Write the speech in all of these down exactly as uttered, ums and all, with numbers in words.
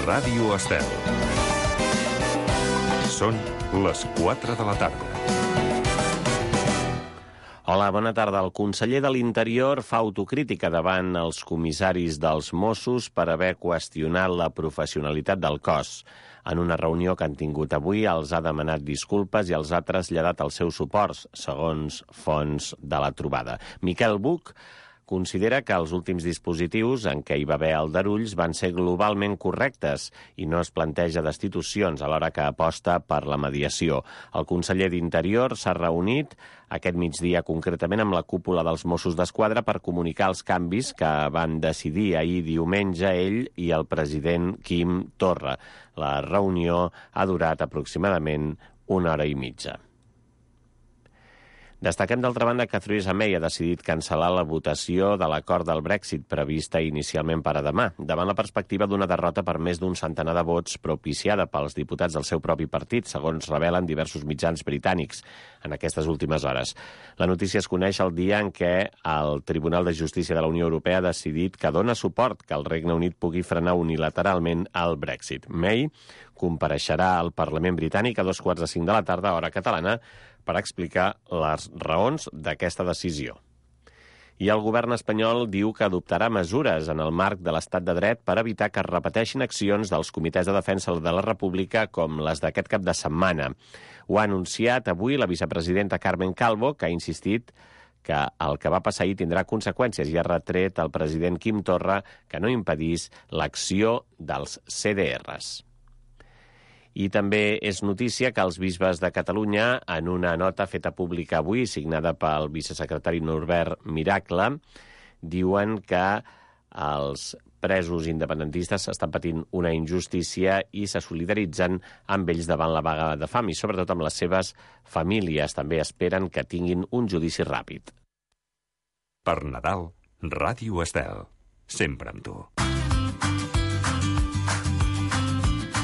Ràdio Estel. Són les quatre de la tarda. Hola, bona tarda. El conseller de l'Interior fa autocrítica davant els comissaris dels Mossos per haver qüestionat la professionalitat del cos. En una reunió que han tingut avui els ha demanat disculpes i els ha traslladat els seus suports, segons fonts de la trobada. Miquel Buch considera que els últims dispositius en què hi va haver aldarulls van ser globalment correctes i no es planteja destitucions alhora que aposta per la mediació. El conseller d'Interior s'ha reunit aquest migdia concretament amb la cúpula dels Mossos d'Esquadra per comunicar els canvis que van decidir ahir diumenge ell i el president Quim Torra. La reunió ha durat aproximadament una hora i mitja. Destaquem, d'altra banda, que Theresa May ha decidit cancel·lar la votació de l'acord del Brexit prevista inicialment per a demà, davant la perspectiva d'una derrota per més d'un centenar de vots propiciada pels diputats del seu propi partit, segons revelen diversos mitjans britànics en aquestes últimes hores. La notícia es coneix el dia en què el Tribunal de Justícia de la Unió Europea ha decidit que dona suport que el Regne Unit pugui frenar unilateralment el Brexit. May compareixerà al Parlament britànic a dos quarts de cinc de la tarda, hora catalana, per explicar les raons d'aquesta decisió. I el govern espanyol diu que adoptarà mesures en el marc de l'estat de dret per evitar que es repeteixin accions dels comitès de defensa de la República com les d'aquest cap de setmana. Ho ha anunciat avui la vicepresidenta Carmen Calvo, que ha insistit que el que va passar ahir tindrà conseqüències i ha retret al president Quim Torra que no impedís l'acció dels C D Rs. I també és notícia que els bisbes de Catalunya, en una nota feta pública avui, signada pel vicesecretari Norbert Miracle, diuen que els presos independentistes estan patint una injustícia i se solidaritzen amb ells davant la vaga de fam i sobretot amb les seves famílies. També esperen que tinguin un judici ràpid. Per Nadal, Ràdio Estel. Sempre amb tu.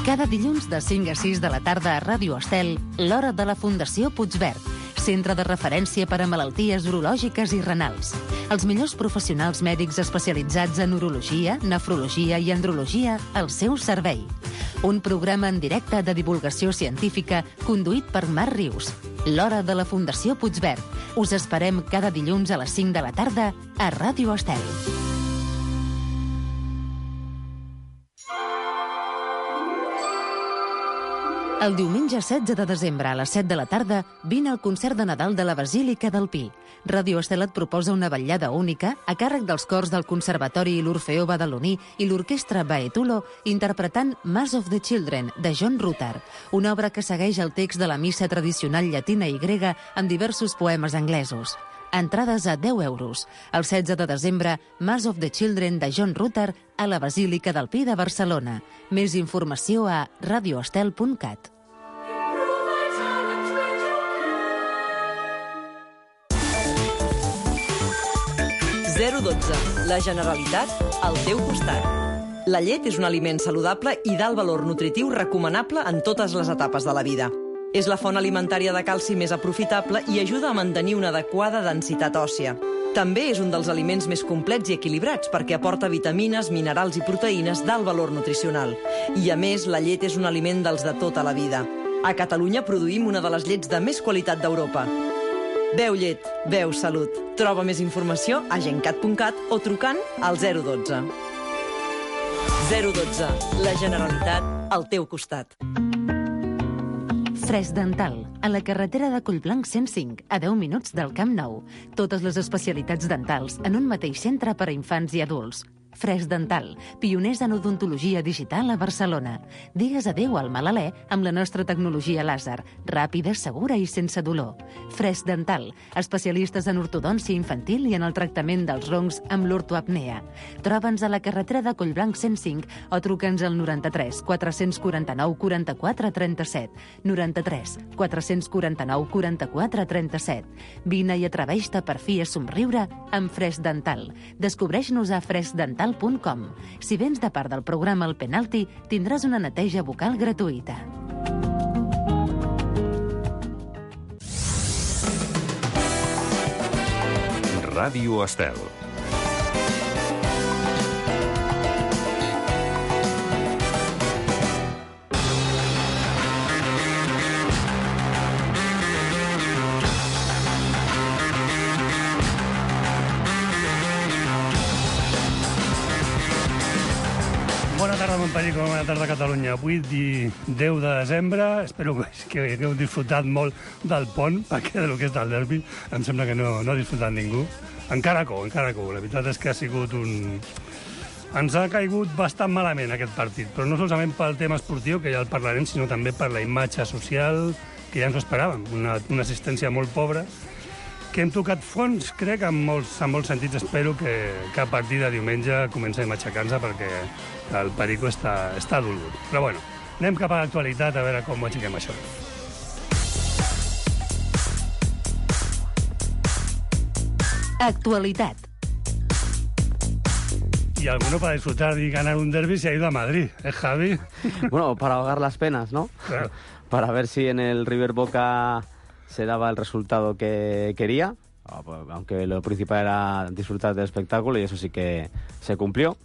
Cada dilluns de cinc a sis de la tarda a Ràdio Estel, l'hora de la Fundació Puigverd, centre de referència per a malalties urològiques i renals. Els millors professionals mèdics especialitzats en urologia, nefrologia i andrologia al seu servei. Un programa en directe de divulgació científica conduït per Marc Rius. L'hora de la Fundació Puigverd. Us esperem cada dilluns a les cinc de la tarda a Ràdio Estel. El diumenge setze de desembre a les set de la tarda vine al concert de Nadal de la Basílica del Pi. Ràdio Estel et proposa una vetllada única a càrrec dels cors del Conservatori i l'Orfeó Badaloní i l'Orquestra Baetulo interpretant Mass of the Children, de John Rutter, una obra que segueix el text de la missa tradicional llatina i grega amb diversos poemes anglesos. Entrades a deu euros. El setze de desembre, Mass of the Children de John Rutter a la Basílica del Pi de Barcelona. Més informació a radioestel punt cat. zero dotze. La Generalitat al teu costat. La llet és un aliment saludable i d'alt valor nutritiu recomanable en totes les etapes de la vida. És la font alimentària de calci més aprofitable i ajuda a mantenir una adequada densitat òssia. També és un dels aliments més complets i equilibrats perquè aporta vitamines, minerals i proteïnes d'alt valor nutricional. I, a més, la llet és un aliment dels de tota la vida. A Catalunya produïm una de les llets de més qualitat d'Europa. Beu llet, beu salut. Troba més informació a gencat punt cat o trucant al zero dotze. zero dotze. La Generalitat al teu costat. Fresc Dental, a la carretera de Collblanc cent cinc, a deu minuts del Camp Nou. Totes les especialitats dentals en un mateix centre per a infants i adults. Fresc Dental, pioners en odontologia digital a Barcelona. Digues adéu al mal alè amb la nostra tecnologia làser, ràpida, segura i sense dolor. Fresc Dental, especialistes en ortodòncia infantil i en el tractament dels roncs amb l'ortoapnea. Troba'ns a la carretera de Collblanc cent cinc o truca'ns al noranta-tres quatre quaranta nou quaranta-quatre trenta-set. noranta-tres quatre quaranta nou quaranta-quatre trenta-set. Vine i atreveix-te per fi a somriure amb Fresc Dental. Descobreix-nos a fresc dental punt com. Si vens de part del programa El Penalti, tindràs una neteja bucal gratuïta. Ràdio Estel. Bona tarda, Montpellier, bona tarda, Catalunya. Avui, deu de desembre, espero que hagueu disfrutat molt del pont, perquè del que és del derbi em sembla que no, no ha disfrutat ningú. Encara cou, encara cou. La veritat és que ha sigut un... Ens ha caigut bastant malament aquest partit, però no solament pel tema esportiu, que ja el parlarem, sinó també per la imatge social, que ja ens ho esperàvem. Una, una assistència molt pobra, que hem tocat fons, crec, en molts, en molts sentits. Espero que, que a partir de diumenge comencem a aixecar-nos, perquè el Perico està, està dolgut. Però bueno, anem cap a l'actualitat a veure com ho aixequem això. Actualitat. Y alguno para disfrutar y ganar un derbi se ha ido a Madrid, ¿eh, Javi? Bueno, para ahogar las penas, ¿no? Claro. Para ver si en el River Boca se daba el resultado que quería, aunque lo principal era disfrutar del espectáculo, y eso sí que se cumplió.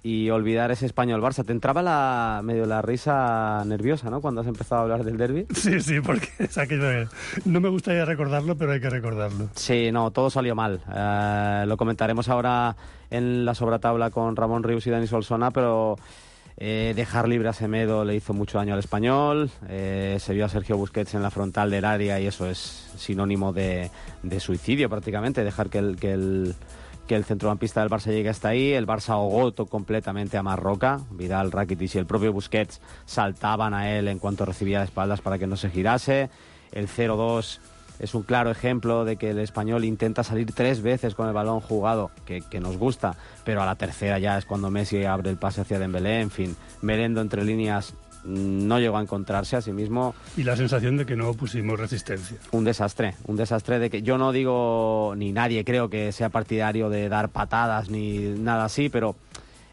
Y olvidar ese Español-Barça. Te entraba la, medio la risa nerviosa, ¿no?, cuando has empezado a hablar del derbi. Sí, sí, porque es aquello de... No me gustaría recordarlo, pero hay que recordarlo. Sí, no, todo salió mal. Eh, lo comentaremos ahora en la sobratabla con Ramón Rius y Dani Solsona, pero eh, dejar libre a Semedo le hizo mucho daño al Español. Eh, se vio a Sergio Busquets en la frontal del área y eso es sinónimo de, de suicidio prácticamente, dejar que el... Que el que el centrocampista del Barça llegue hasta ahí. El Barça ahogó completamente a Marroca. Vidal, Rakitic y el propio Busquets saltaban a él en cuanto recibía de espaldas para que no se girase. El cero dos es un claro ejemplo de que el Español intenta salir tres veces con el balón jugado, que, que nos gusta, pero a la tercera ya es cuando Messi abre el pase hacia Dembélé. En fin, Merendo entre líneas no llegó a encontrarse a sí mismo. Y la sensación de que no pusimos resistencia. Un desastre, un desastre de que yo no digo, ni nadie creo que sea partidario de dar patadas ni nada así, pero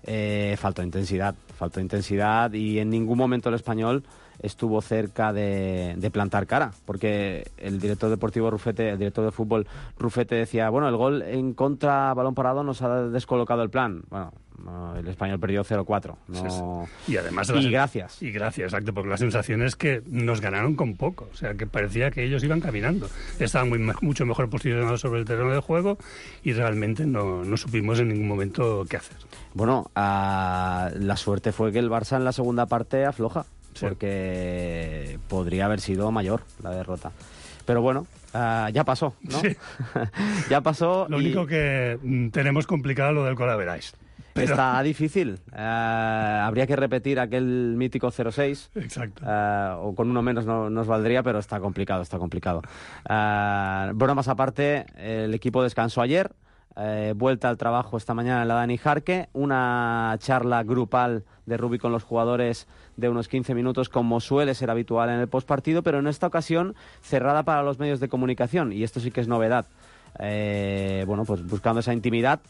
eh, faltó intensidad, faltó intensidad y en ningún momento el Español estuvo cerca de, de plantar cara, porque el director deportivo Rufete, el director de fútbol Rufete decía, bueno, el gol en contra, balón parado, nos ha descolocado el plan. Bueno, no, el Español perdió cero cuatro. No... Sí, sí. Y además... Y gracias. Y gracias, exacto, porque la sensación es que nos ganaron con poco. O sea, que parecía que ellos iban caminando. Estaban muy, mucho mejor posicionados sobre el terreno de juego y realmente no, no supimos en ningún momento qué hacer. Bueno, uh, la suerte fue que el Barça en la segunda parte afloja, sí, porque podría haber sido mayor la derrota. Pero bueno, uh, ya pasó, ¿no? Sí. Ya pasó. Lo y... único que mm, tenemos complicado lo del colaveráis. Pero... Está difícil. Uh, habría que repetir aquel mítico cero seis. Exacto. Uh, o con uno menos no nos valdría, pero está complicado, está complicado. Uh, bromas aparte, el equipo descansó ayer. Eh, vuelta al trabajo esta mañana en la Dani Jarque, una charla grupal de Rubi con los jugadores de unos quince minutos, como suele ser habitual en el postpartido, pero en esta ocasión cerrada para los medios de comunicación, y esto sí que es novedad. Eh, bueno, pues buscando esa intimidad,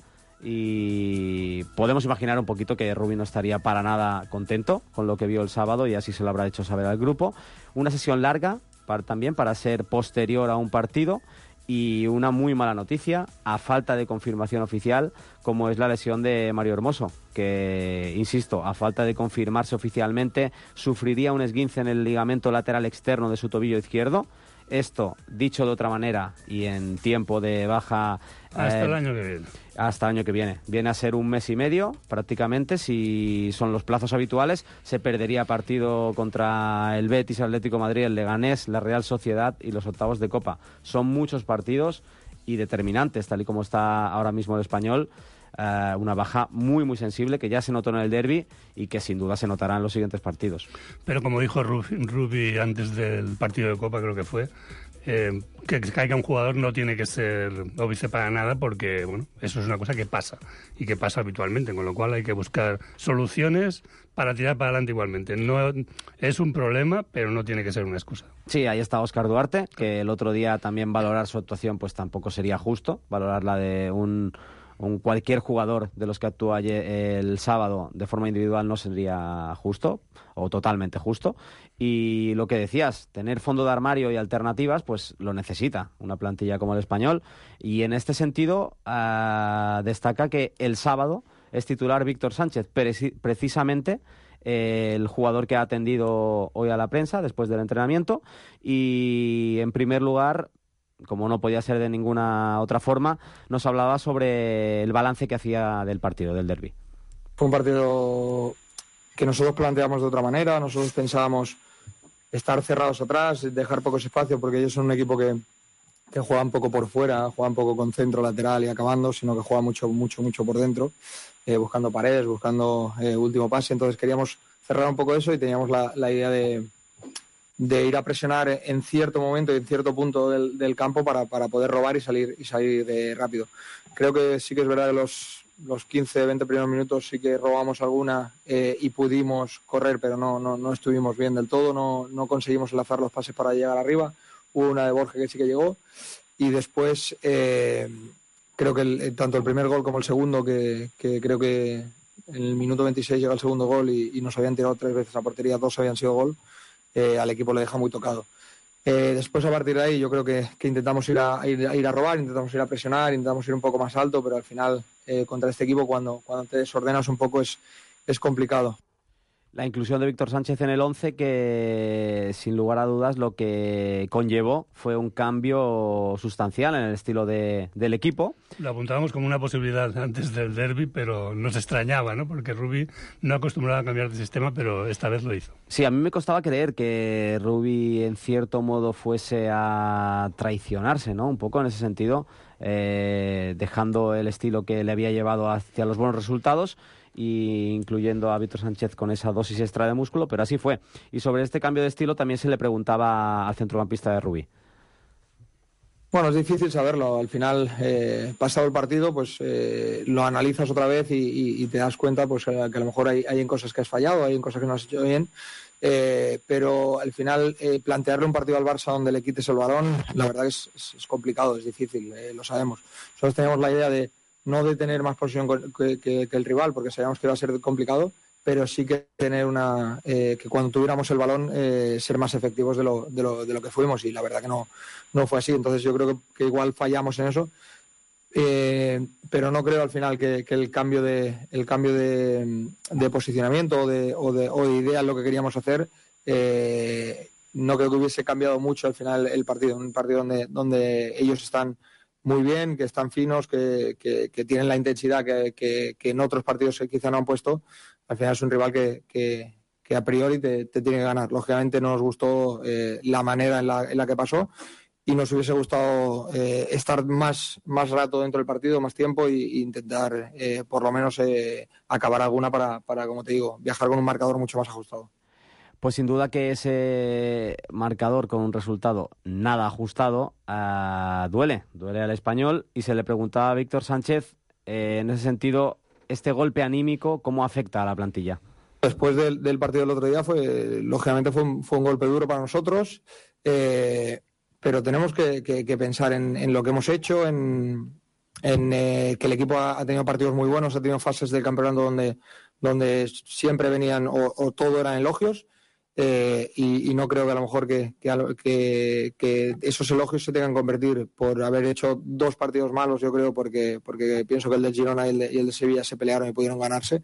y podemos imaginar un poquito que Rubi no estaría para nada contento con lo que vio el sábado, y así se lo habrá hecho saber al grupo. Una sesión larga para, también para ser posterior a un partido. Y una muy mala noticia, a falta de confirmación oficial, como es la lesión de Mario Hermoso, que, insisto, a falta de confirmarse oficialmente, sufriría un esguince en el ligamento lateral externo de su tobillo izquierdo. Esto, dicho de otra manera y en tiempo de baja... Hasta eh, el año que viene. Hasta el año que viene. Viene a ser un mes y medio, prácticamente, si son los plazos habituales. Se perdería partido contra el Betis, el Atlético de Madrid, el Leganés, la Real Sociedad y los octavos de Copa. Son muchos partidos y determinantes, tal y como está ahora mismo el Español. Uh, una baja muy, muy sensible que ya se notó en el derbi y que sin duda se notará en los siguientes partidos. Pero como dijo Rubi antes del partido de Copa, creo que fue, eh, que caiga un jugador no tiene que ser óbice para nada, porque bueno, eso es una cosa que pasa y que pasa habitualmente, con lo cual hay que buscar soluciones para tirar para adelante igualmente. No es un problema, pero no tiene que ser una excusa. Sí, ahí está Óscar Duarte, que el otro día también valorar su actuación pues tampoco sería justo, valorarla de un... Un cualquier jugador de los que actuó ayer, el sábado de forma individual no sería justo o totalmente justo. Y lo que decías, tener fondo de armario y alternativas, pues lo necesita una plantilla como el Español. Y en este sentido uh, destaca que el sábado es titular Víctor Sánchez, precisamente eh, el jugador que ha atendido hoy a la prensa después del entrenamiento. Y en primer lugar, como no podía ser de ninguna otra forma, nos hablaba sobre el balance que hacía del partido, del derbi. Fue un partido que nosotros planteamos de otra manera. Nosotros pensábamos estar cerrados atrás, dejar pocos espacios, porque ellos son un equipo que, que juega un poco por fuera, juega un poco con centro lateral y acabando, sino que juega mucho, mucho, mucho por dentro, eh, buscando paredes, buscando eh, último pase. Entonces queríamos cerrar un poco eso y teníamos la, la idea de, de ir a presionar en cierto momento y en cierto punto del, del campo para, para poder robar y salir, y salir de rápido. Creo que sí que es verdad que los, los quince, veinte primeros minutos sí que robamos alguna eh, y pudimos correr, pero no, no, no estuvimos bien del todo, no, no conseguimos enlazar los pases para llegar arriba. Hubo una de Borja que sí que llegó y después eh, creo que el, tanto el primer gol como el segundo, que, que creo que en el minuto veintiséis llega el segundo gol y, y nos habían tirado tres veces a portería, dos habían sido gol, eh, al equipo le deja muy tocado. Eh, después, a partir de ahí, yo creo que, que intentamos ir a, ir, a ir a robar, intentamos ir a presionar, intentamos ir un poco más alto, pero al final, eh, contra este equipo, cuando, cuando te desordenas un poco, es, es complicado. La inclusión de Víctor Sánchez en el once, que sin lugar a dudas lo que conllevó fue un cambio sustancial en el estilo de, del equipo. Lo apuntábamos como una posibilidad antes del derbi, pero nos extrañaba, ¿no? Porque Rubi no acostumbraba a cambiar de sistema, pero esta vez lo hizo. Sí, a mí me costaba creer que Rubi en cierto modo fuese a traicionarse, ¿no? Un poco en ese sentido, eh, dejando el estilo que le había llevado hacia los buenos resultados, y incluyendo a Víctor Sánchez con esa dosis extra de músculo, pero así fue. Y sobre este cambio de estilo también se le preguntaba al centrocampista de Rubi. Bueno, es difícil saberlo. Al final, eh, pasado el partido, pues eh, lo analizas otra vez y, y, y te das cuenta pues, que a lo mejor hay, hay en cosas que has fallado, hay en cosas que no has hecho bien, eh, pero al final eh, plantearle un partido al Barça donde le quites el balón, la verdad que es, es, es complicado, es difícil, eh, lo sabemos. Nosotros teníamos la idea de no de tener más posesión que, que, que el rival, porque sabíamos que iba a ser complicado, pero sí que tener una eh, que cuando tuviéramos el balón eh, ser más efectivos de lo, de, lo, de lo que fuimos, y la verdad que no, no fue así. Entonces yo creo que, que igual fallamos en eso, eh, pero no creo al final que, que el cambio de el cambio de, de posicionamiento o de, o, de, o de idea en lo que queríamos hacer, eh, no creo que hubiese cambiado mucho al final el partido, un partido donde, donde ellos están muy bien, que están finos, que, que, que tienen la intensidad que, que, que en otros partidos quizá no han puesto. Al final es un rival que, que, que a priori te, te tiene que ganar. Lógicamente no nos gustó eh, la manera en la, en la que pasó y nos hubiese gustado eh, estar más, más rato dentro del partido, más tiempo, e intentar eh, por lo menos eh, acabar alguna para, para, como te digo, viajar con un marcador mucho más ajustado. Pues sin duda que ese marcador con un resultado nada ajustado uh, duele, duele al Español, y se le preguntaba a Víctor Sánchez eh, en ese sentido, este golpe anímico, ¿cómo afecta a la plantilla? Después del, del partido del otro día, fue lógicamente fue un, fue un golpe duro para nosotros, eh, pero tenemos que, que, que pensar en, en lo que hemos hecho, en, en eh, que el equipo ha, ha tenido partidos muy buenos, ha tenido fases del campeonato donde, donde siempre venían o, o todo eran elogios. Eh, y, y no creo que a lo mejor que, que, que esos elogios se tengan que convertir por haber hecho dos partidos malos, yo creo, porque, porque pienso que el de Girona y el de, y el de Sevilla se pelearon y pudieron ganarse.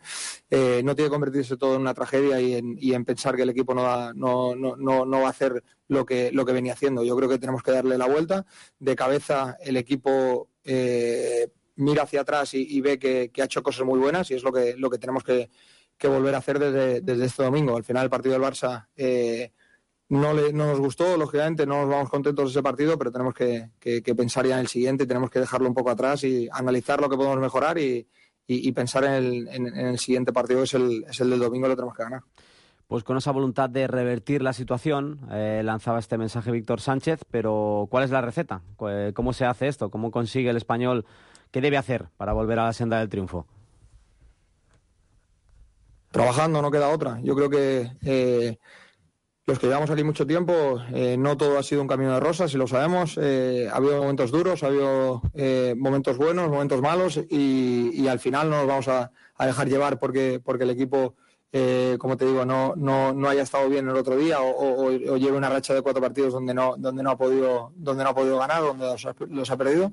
Eh, no tiene que convertirse todo en una tragedia y en, y en pensar que el equipo no va, no, no, no, no va a hacer lo que, lo que venía haciendo. Yo creo que tenemos que darle la vuelta. De cabeza el equipo eh, mira hacia atrás y, y ve que, que ha hecho cosas muy buenas, y es lo que, lo que tenemos que que volver a hacer desde, desde este domingo. Al final el partido del Barça eh, no, le, no nos gustó, lógicamente no nos vamos contentos de ese partido, pero tenemos que, que, que pensar ya en el siguiente, tenemos que dejarlo un poco atrás y analizar lo que podemos mejorar y, y, y pensar en el, en, en el siguiente partido, que es el, es el del domingo, lo tenemos que ganar. Pues con esa voluntad de revertir la situación, eh, lanzaba este mensaje Víctor Sánchez, pero ¿cuál es la receta? ¿Cómo se hace esto? ¿Cómo consigue el Español? ¿Qué debe hacer para volver a la senda del triunfo? Trabajando, no queda otra. Yo creo que eh, los que llevamos aquí mucho tiempo, eh, no todo ha sido un camino de rosas, y lo sabemos. Eh, ha habido momentos duros, ha habido eh, momentos buenos, momentos malos, y, y al final no nos vamos a, a dejar llevar porque, porque el equipo, eh, como te digo, no, no, no haya estado bien el otro día o, o, o lleve una racha de cuatro partidos donde no, donde no ha podido, donde no ha podido ganar, donde los ha, los ha perdido.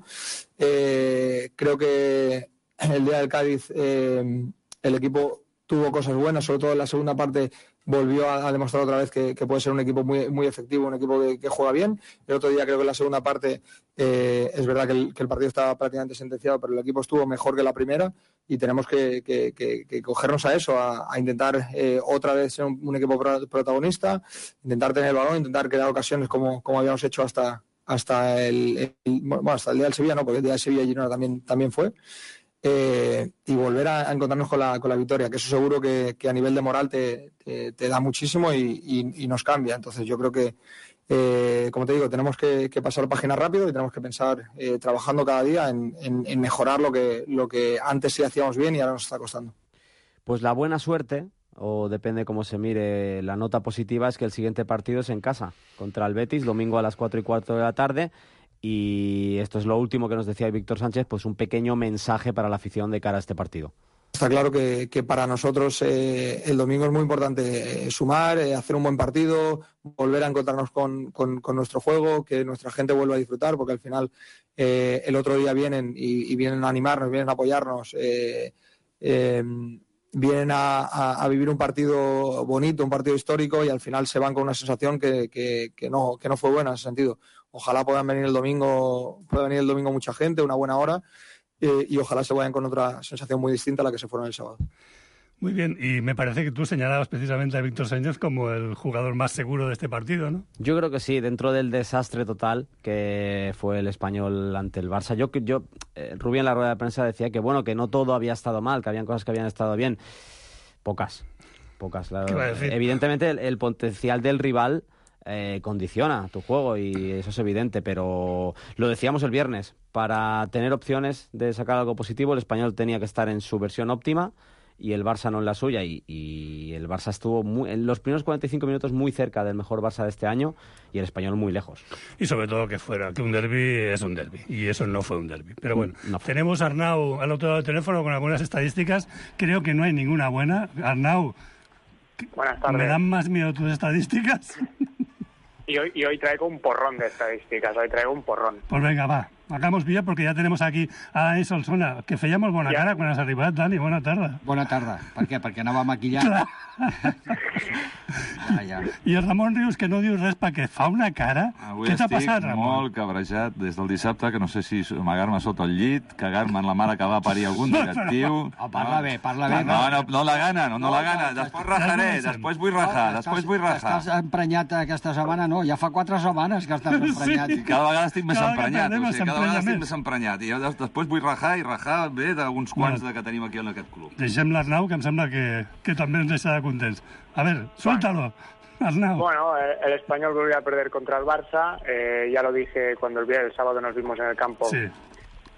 Eh, creo que el día del Cádiz eh, el equipo tuvo cosas buenas, sobre todo en la segunda parte volvió a, a demostrar otra vez que, que puede ser un equipo muy, muy efectivo, un equipo que, que juega bien. El otro día creo que en la segunda parte eh, es verdad que el, que el partido estaba prácticamente sentenciado, pero el equipo estuvo mejor que la primera, y tenemos que, que, que, que cogernos a eso, a, a intentar eh, otra vez ser un, un equipo pro, protagonista, intentar tener el balón, intentar crear ocasiones como, como habíamos hecho hasta hasta el, el bueno, hasta el día del Sevilla, no, porque el día del Sevilla Girona también, también fue, eh, y volver a, a encontrarnos con la, con la victoria, que eso seguro que, que a nivel de moral te, te, te da muchísimo y, y, y nos cambia. Entonces yo creo que, eh, como te digo, tenemos que, que pasar página rápido y tenemos que pensar eh, trabajando cada día en, en, en mejorar lo que, lo que antes sí hacíamos bien y ahora nos está costando. Pues la buena suerte, o depende cómo se mire, la nota positiva es que el siguiente partido es en casa, contra el Betis, domingo a las cuatro y cuarto de la tarde, y esto es lo último que nos decía Víctor Sánchez, pues un pequeño mensaje para la afición de cara a este partido. Está claro que, que para nosotros eh, el domingo es muy importante eh, sumar, eh, hacer un buen partido, volver a encontrarnos con, con, con nuestro juego, que nuestra gente vuelva a disfrutar, porque al final eh, el otro día vienen y, y vienen a animarnos, vienen a apoyarnos, eh, eh, vienen a, a, a vivir un partido bonito, un partido histórico, y al final se van con una sensación que, que, que, no, que no fue buena en ese sentido. Ojalá puedan venir el domingo, pueda venir el domingo mucha gente, una buena hora, eh, y ojalá se vayan con otra sensación muy distinta a la que se fueron el sábado. Muy bien, y me parece que tú señalabas precisamente a Víctor Sánchez como el jugador más seguro de este partido, ¿no? Yo creo que sí, dentro del desastre total que fue el Español ante el Barça. Yo, yo eh, Rubí en la rueda de prensa decía que bueno, que no todo había estado mal, que habían cosas que habían estado bien. Pocas, pocas. La, ¿Qué va a decir? Evidentemente el, el potencial del rival eh, condiciona tu juego y eso es evidente, pero lo decíamos el viernes, para tener opciones de sacar algo positivo el Español tenía que estar en su versión óptima y el Barça no en la suya, y, y el Barça estuvo muy, en los primeros cuarenta y cinco minutos muy cerca del mejor Barça de este año y el Español muy lejos. Y sobre todo que fuera, que un derbi es un derbi, y eso no fue un derbi. Pero bueno, no tenemos a Arnau al otro lado del teléfono con algunas estadísticas, creo que no hay ninguna buena. Arnau, buenas tardes. ¿Me dan más miedo tus estadísticas? Y hoy, y hoy traigo un porrón de estadísticas, hoy traigo un porrón. Pues venga, va, hagamos bien porque ja tenem aquí a Dani Solsona, que fèiem molt bona ja. cara quan has arribat, Dani, bona tarda. Bona tarda. Per què? Perquè anava maquillat. ja, ja. I el Ramon Rius, que no diu res perquè fa una cara. Avui Què t'ha estic passat, Ramon? molt cabrejat des del dissabte, que no sé si amagar-me sota el llit, cagar-me en la mare que va parir algun directiu... Oh, parla bé, parla bé. No, no, no la gana, no, no la gana. Després rajaré, després vull rajar, després vull rajar. Estàs emprenyat aquesta setmana? No, ja fa quatre setmanes que estàs emprenyat. Sí, cada vegada estic més Cada emprenyat, vegada o sigui, cada vegada estic més. més emprenyat. I jo després vull rajar i rajar bé d'uns quants Bueno. que tenim aquí en aquest club. Deixem l'Arnau, que em sembla que, que també ens deixarà contents. A ver, suéltalo, Arnau. Bueno, el Español volvió a perder contra el Barça. Eh, ya lo dije cuando el, el sábado nos vimos en el campo, Sí.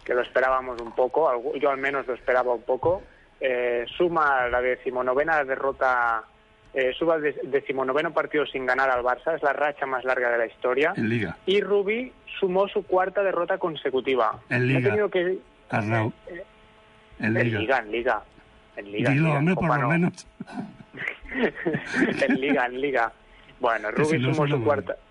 que lo esperábamos un poco. Yo al menos lo esperaba un poco. Eh, suma la decimonovena derrota, eh, suma el decimonoveno partido sin ganar al Barça. Es la racha más larga de la historia. En Liga. Y Rubí sumó su cuarta derrota consecutiva. En Liga. Ha tenido que... Arnau. Eh, En en Liga. Liga, en Liga. En Liga, en Dilo, Liga. hombre, por Copa lo no. menos. en Liga, en Liga. Bueno, Que si Rubí no sumó suena su bueno. cuarta,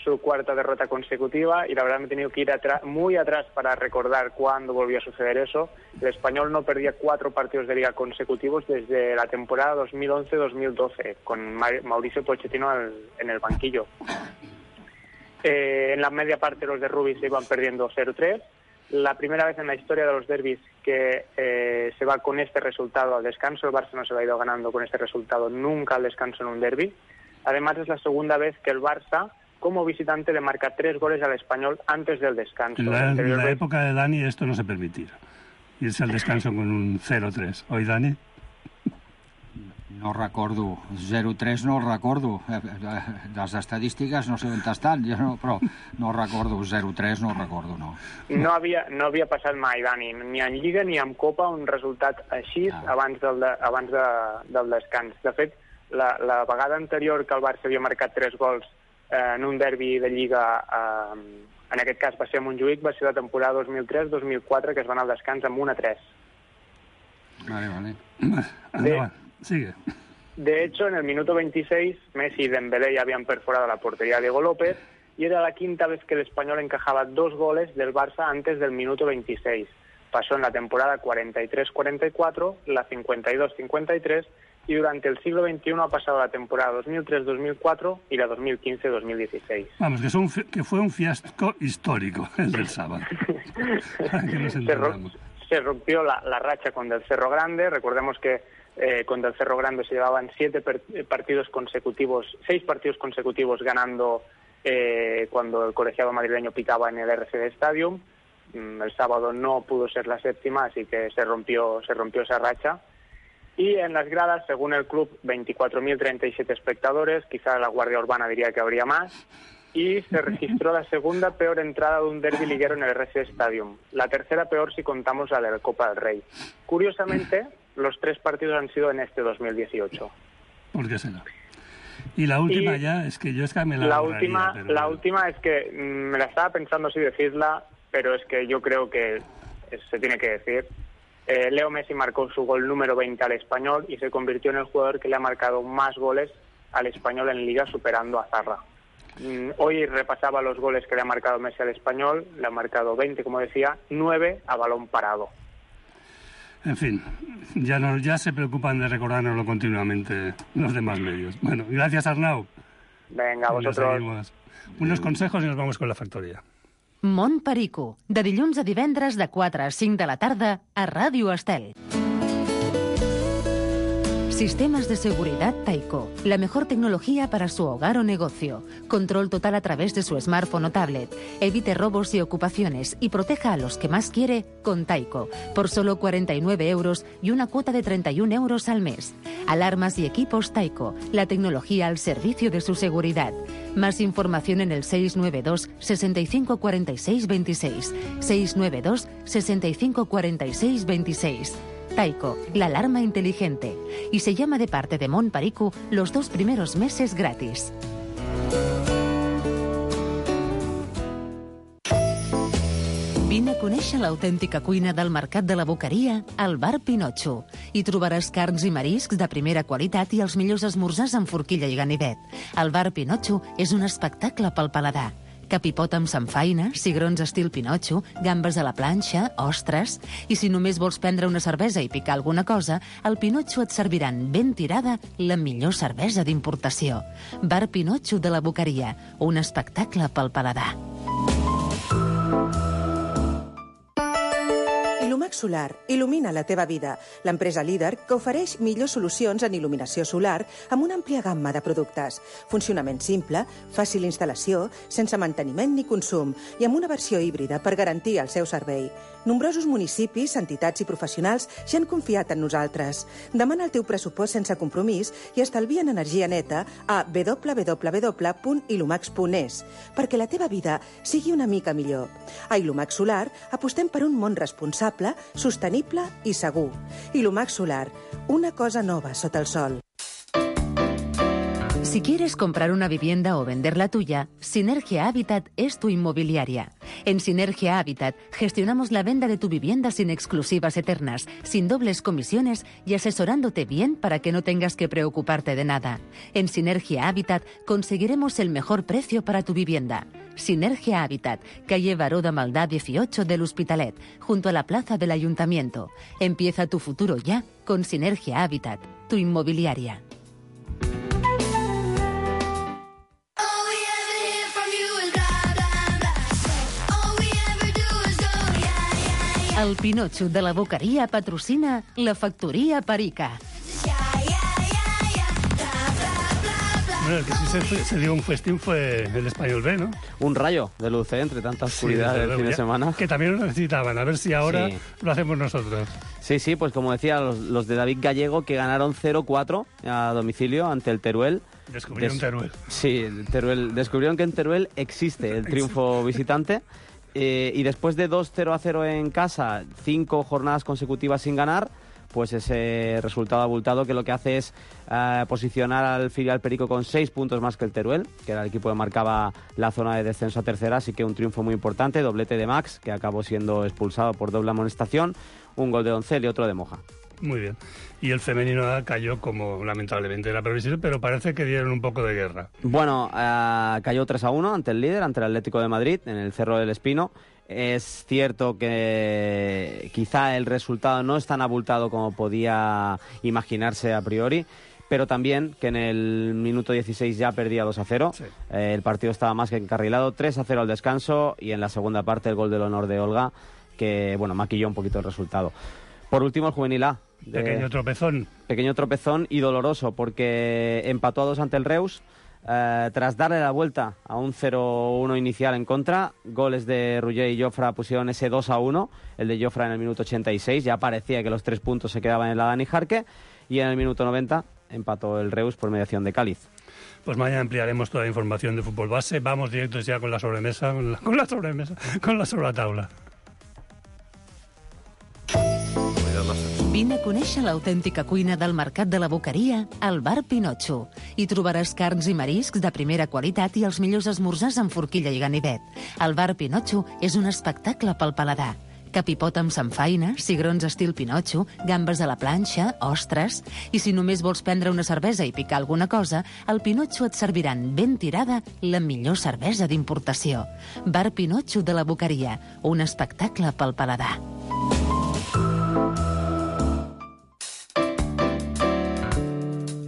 su cuarta derrota consecutiva y la verdad me he tenido que ir atrás, muy atrás para recordar cuándo volvió a suceder eso. El Español no perdía cuatro partidos de Liga consecutivos desde la temporada dos mil once dos mil doce, con Ma- Mauricio Pochettino al- en el banquillo. Eh, en la media parte los de Rubí se iban perdiendo cero tres. La primera vez en la historia de los derbis que eh, se va con este resultado al descanso. El Barça no se va ido ganando con este resultado nunca al descanso en un derbi. Además es la segunda vez que el Barça, como visitante, le marca tres goles al Español antes del descanso. En la, en Anterior la vez- época de Dani esto no se permitía. Irse al descanso con un cero tres. ¿Hoy, Dani? No recordo. zero tres no el recordo. Eh, eh, Les estadístiques no sé on estan, jo no, però no recordo. zero tres no el recordo, no. No havia, no havia passat mai, Dani, ni en Lliga ni en Copa, un resultat així Ah. abans, del, de, abans de, del descans. De fet, la, la vegada anterior que el Barça havia marcat tres gols eh, en un derbi de Lliga, eh, en aquest cas va ser a Montjuïc, va ser la temporada dos mil tres dos mil quatre, que es va anar al descans amb un a tres. Vale, vale. Anda, sigue. De hecho, en el minuto veintiséis, Messi y Dembélé ya habían perforado la portería de Diego López y era la quinta vez que el Español encajaba dos goles del Barça antes del minuto veintiséis. Pasó en la temporada cuarenta y tres cuarenta y cuatro, la cincuenta y dos cincuenta y tres y durante el siglo veintiuno ha pasado la temporada dos mil tres dos mil cuatro y la dos mil quince dos mil dieciséis. Vamos, que, son, que fue un fiasco histórico el del sábado. Para que nos Se, ro- entendamos. se rompió la, la racha contra el Cerro Grande. Recordemos que eh, contra el Cerro Grande se llevaban siete per, partidos consecutivos, seis partidos consecutivos ganando eh, cuando el colegiado madrileño pitaba en el R C D Stadium. El sábado no pudo ser la séptima, así que se rompió, se rompió esa racha. Y en las gradas, según el club, veinticuatro mil treinta y siete espectadores, quizá la Guardia Urbana diría que habría más, y se registró la segunda peor entrada de un derbi liguero en el R C D Stadium, la tercera peor si contamos la de la Copa del Rey. Curiosamente, los tres partidos han sido en este dos mil dieciocho. ¿Por qué será? Y la última y ya, es que yo es que me la La borraría, última, pero... la última es que mmm, me la estaba pensando si decirla, pero es que yo creo que se tiene que decir. Eh, Leo Messi marcó su gol número veinte al Español y se convirtió en el jugador que le ha marcado más goles al Español en Liga, superando a Zarra. Mm, hoy repasaba los goles que le ha marcado Messi al Español, le ha marcado veinte, como decía, nueve a balón parado. En fin, ya, no, ya se preocupan de recordárnoslo continuamente los demás medios. Bueno, gracias, Arnau. Venga, vosotros. Unos consejos y nos vamos con la factoría. Mont Perico, de dilluns a divendres de quatre a cinc de la tarda a Ràdio Estel. Sistemas de seguridad Taiko, la mejor tecnología para su hogar o negocio. Control total a través de su smartphone o tablet. Evite robos y ocupaciones y proteja a los que más quiere con Taiko, por solo cuarenta y nueve euros y una cuota de treinta y un euros al mes. Alarmas y equipos Taiko, la tecnología al servicio de su seguridad. Más información en el seis nueve dos, sesenta y cinco cuarenta y seis veintiséis. seis nueve dos, sesenta y cinco cuarenta y seis veintiséis. Taiko, la alarma inteligente. Y se llama de parte de Mont Perico los dos primeros meses gratis. Vine a conèixer l'autèntica cuina del Mercat de la Boqueria al Bar Pinotxo. Hi trobaràs carns i mariscs de primera qualitat i els millors esmorzars amb forquilla i ganivet. El Bar Pinotxo és un espectacle pel paladar. Capipot amb samfaina, cigrons estil Pinotxo, gambes a la planxa, ostres... I si només vols prendre una cervesa i picar alguna cosa, al Pinotxo et serviran ben tirada la millor cervesa d'importació. Bar Pinotxo de la Boqueria, un espectacle pel paladar. Ilumax Solar il·lumina la teva vida. L'empresa líder que ofereix millors solucions en il·luminació solar amb una àmplia gamma de productes. Funcionament simple, fàcil instal·lació, sense manteniment ni consum i amb una versió híbrida per garantir el seu servei. Nombrosos municipis, entitats i professionals ja han confiat en nosaltres. Demana el teu pressupost sense compromís i estalvia en energia neta a w w w punt ilumax punt es perquè la teva vida sigui una mica millor. A Ilumax Solar apostem per un món responsable, sostenible i segur. Ilumax Solar, una cosa nova sota el sol. Si quieres comprar una vivienda o vender la tuya, Sinergia Habitat es tu inmobiliaria. En Sinergia Habitat gestionamos la venta de tu vivienda sin exclusivas eternas, sin dobles comisiones y asesorándote bien para que no tengas que preocuparte de nada. En Sinergia Habitat conseguiremos el mejor precio para tu vivienda. Sinergia Habitat, calle Baró de Maldá dieciocho del Hospitalet, junto a la plaza del Ayuntamiento. Empieza tu futuro ya con Sinergia Habitat, tu inmobiliaria. El Pinotxo de la Boqueria patrocina la Factoria Perica. Bueno, el que sí se, se dio un festín fue el Español B, ¿no? Un rayo de luz, ¿eh? Entre tanta oscuridad sí, del fin de semana. Que también lo necesitaban, a ver si ahora sí lo hacemos nosotros. Sí, sí, pues como decía, los, los de David Gallego que ganaron cero cuatro a domicilio ante el Teruel. Descubrieron Des... Teruel. Sí, Teruel. Descubrieron que en Teruel existe el triunfo visitante. Eh, y después de dos cero a cero en casa, cinco jornadas consecutivas sin ganar, pues ese resultado abultado que lo que hace es eh, posicionar al filial Perico con seis puntos más que el Teruel, que era el equipo que marcaba la zona de descenso a tercera, así que un triunfo muy importante, doblete de Max, que acabó siendo expulsado por doble amonestación, un gol de Doncel y otro de Moja. Muy bien. Y el femenino cayó como lamentablemente era previsible, pero parece que dieron un poco de guerra. Bueno, eh, cayó tres a uno ante el líder, ante el Atlético de Madrid, en el Cerro del Espino. Es cierto que quizá el resultado no es tan abultado como podía imaginarse a priori, pero también que en el minuto dieciséis ya perdía dos a cero. Sí. Eh, el partido estaba más que encarrilado, tres a cero al descanso, y en la segunda parte el gol del honor de Olga que, bueno, maquilló un poquito el resultado. Por último, el Juvenil A. De... Pequeño tropezón. Pequeño tropezón y doloroso, porque empató a dos ante el Reus, eh, tras darle la vuelta a un cero uno inicial en contra. Goles de Ruller y Jofra pusieron ese dos a uno, el de Jofra en el minuto ochenta y seis, ya parecía que los tres puntos se quedaban en la Dani Jarque, y en el minuto noventa empató el Reus por mediación de Cáliz. Pues mañana ampliaremos toda la información de fútbol base. Vamos directos ya con la sobremesa, con la, con la sobremesa, con la sobretaula. Vine a conèixer l'autèntica cuina del Mercat de la Boqueria al Bar Pinotxo. Hi trobaràs carns i mariscs de primera qualitat i els millors esmorzars amb forquilla i ganivet. El Bar Pinotxo és un espectacle pel paladar. Capipot amb samfaina, cigrons estil Pinotxo, gambes a la planxa, ostres... I si només vols prendre una cervesa i picar alguna cosa, al Pinotxo et serviran ben tirada la millor cervesa d'importació. Bar Pinotxo de la Boqueria, un espectacle pel paladar.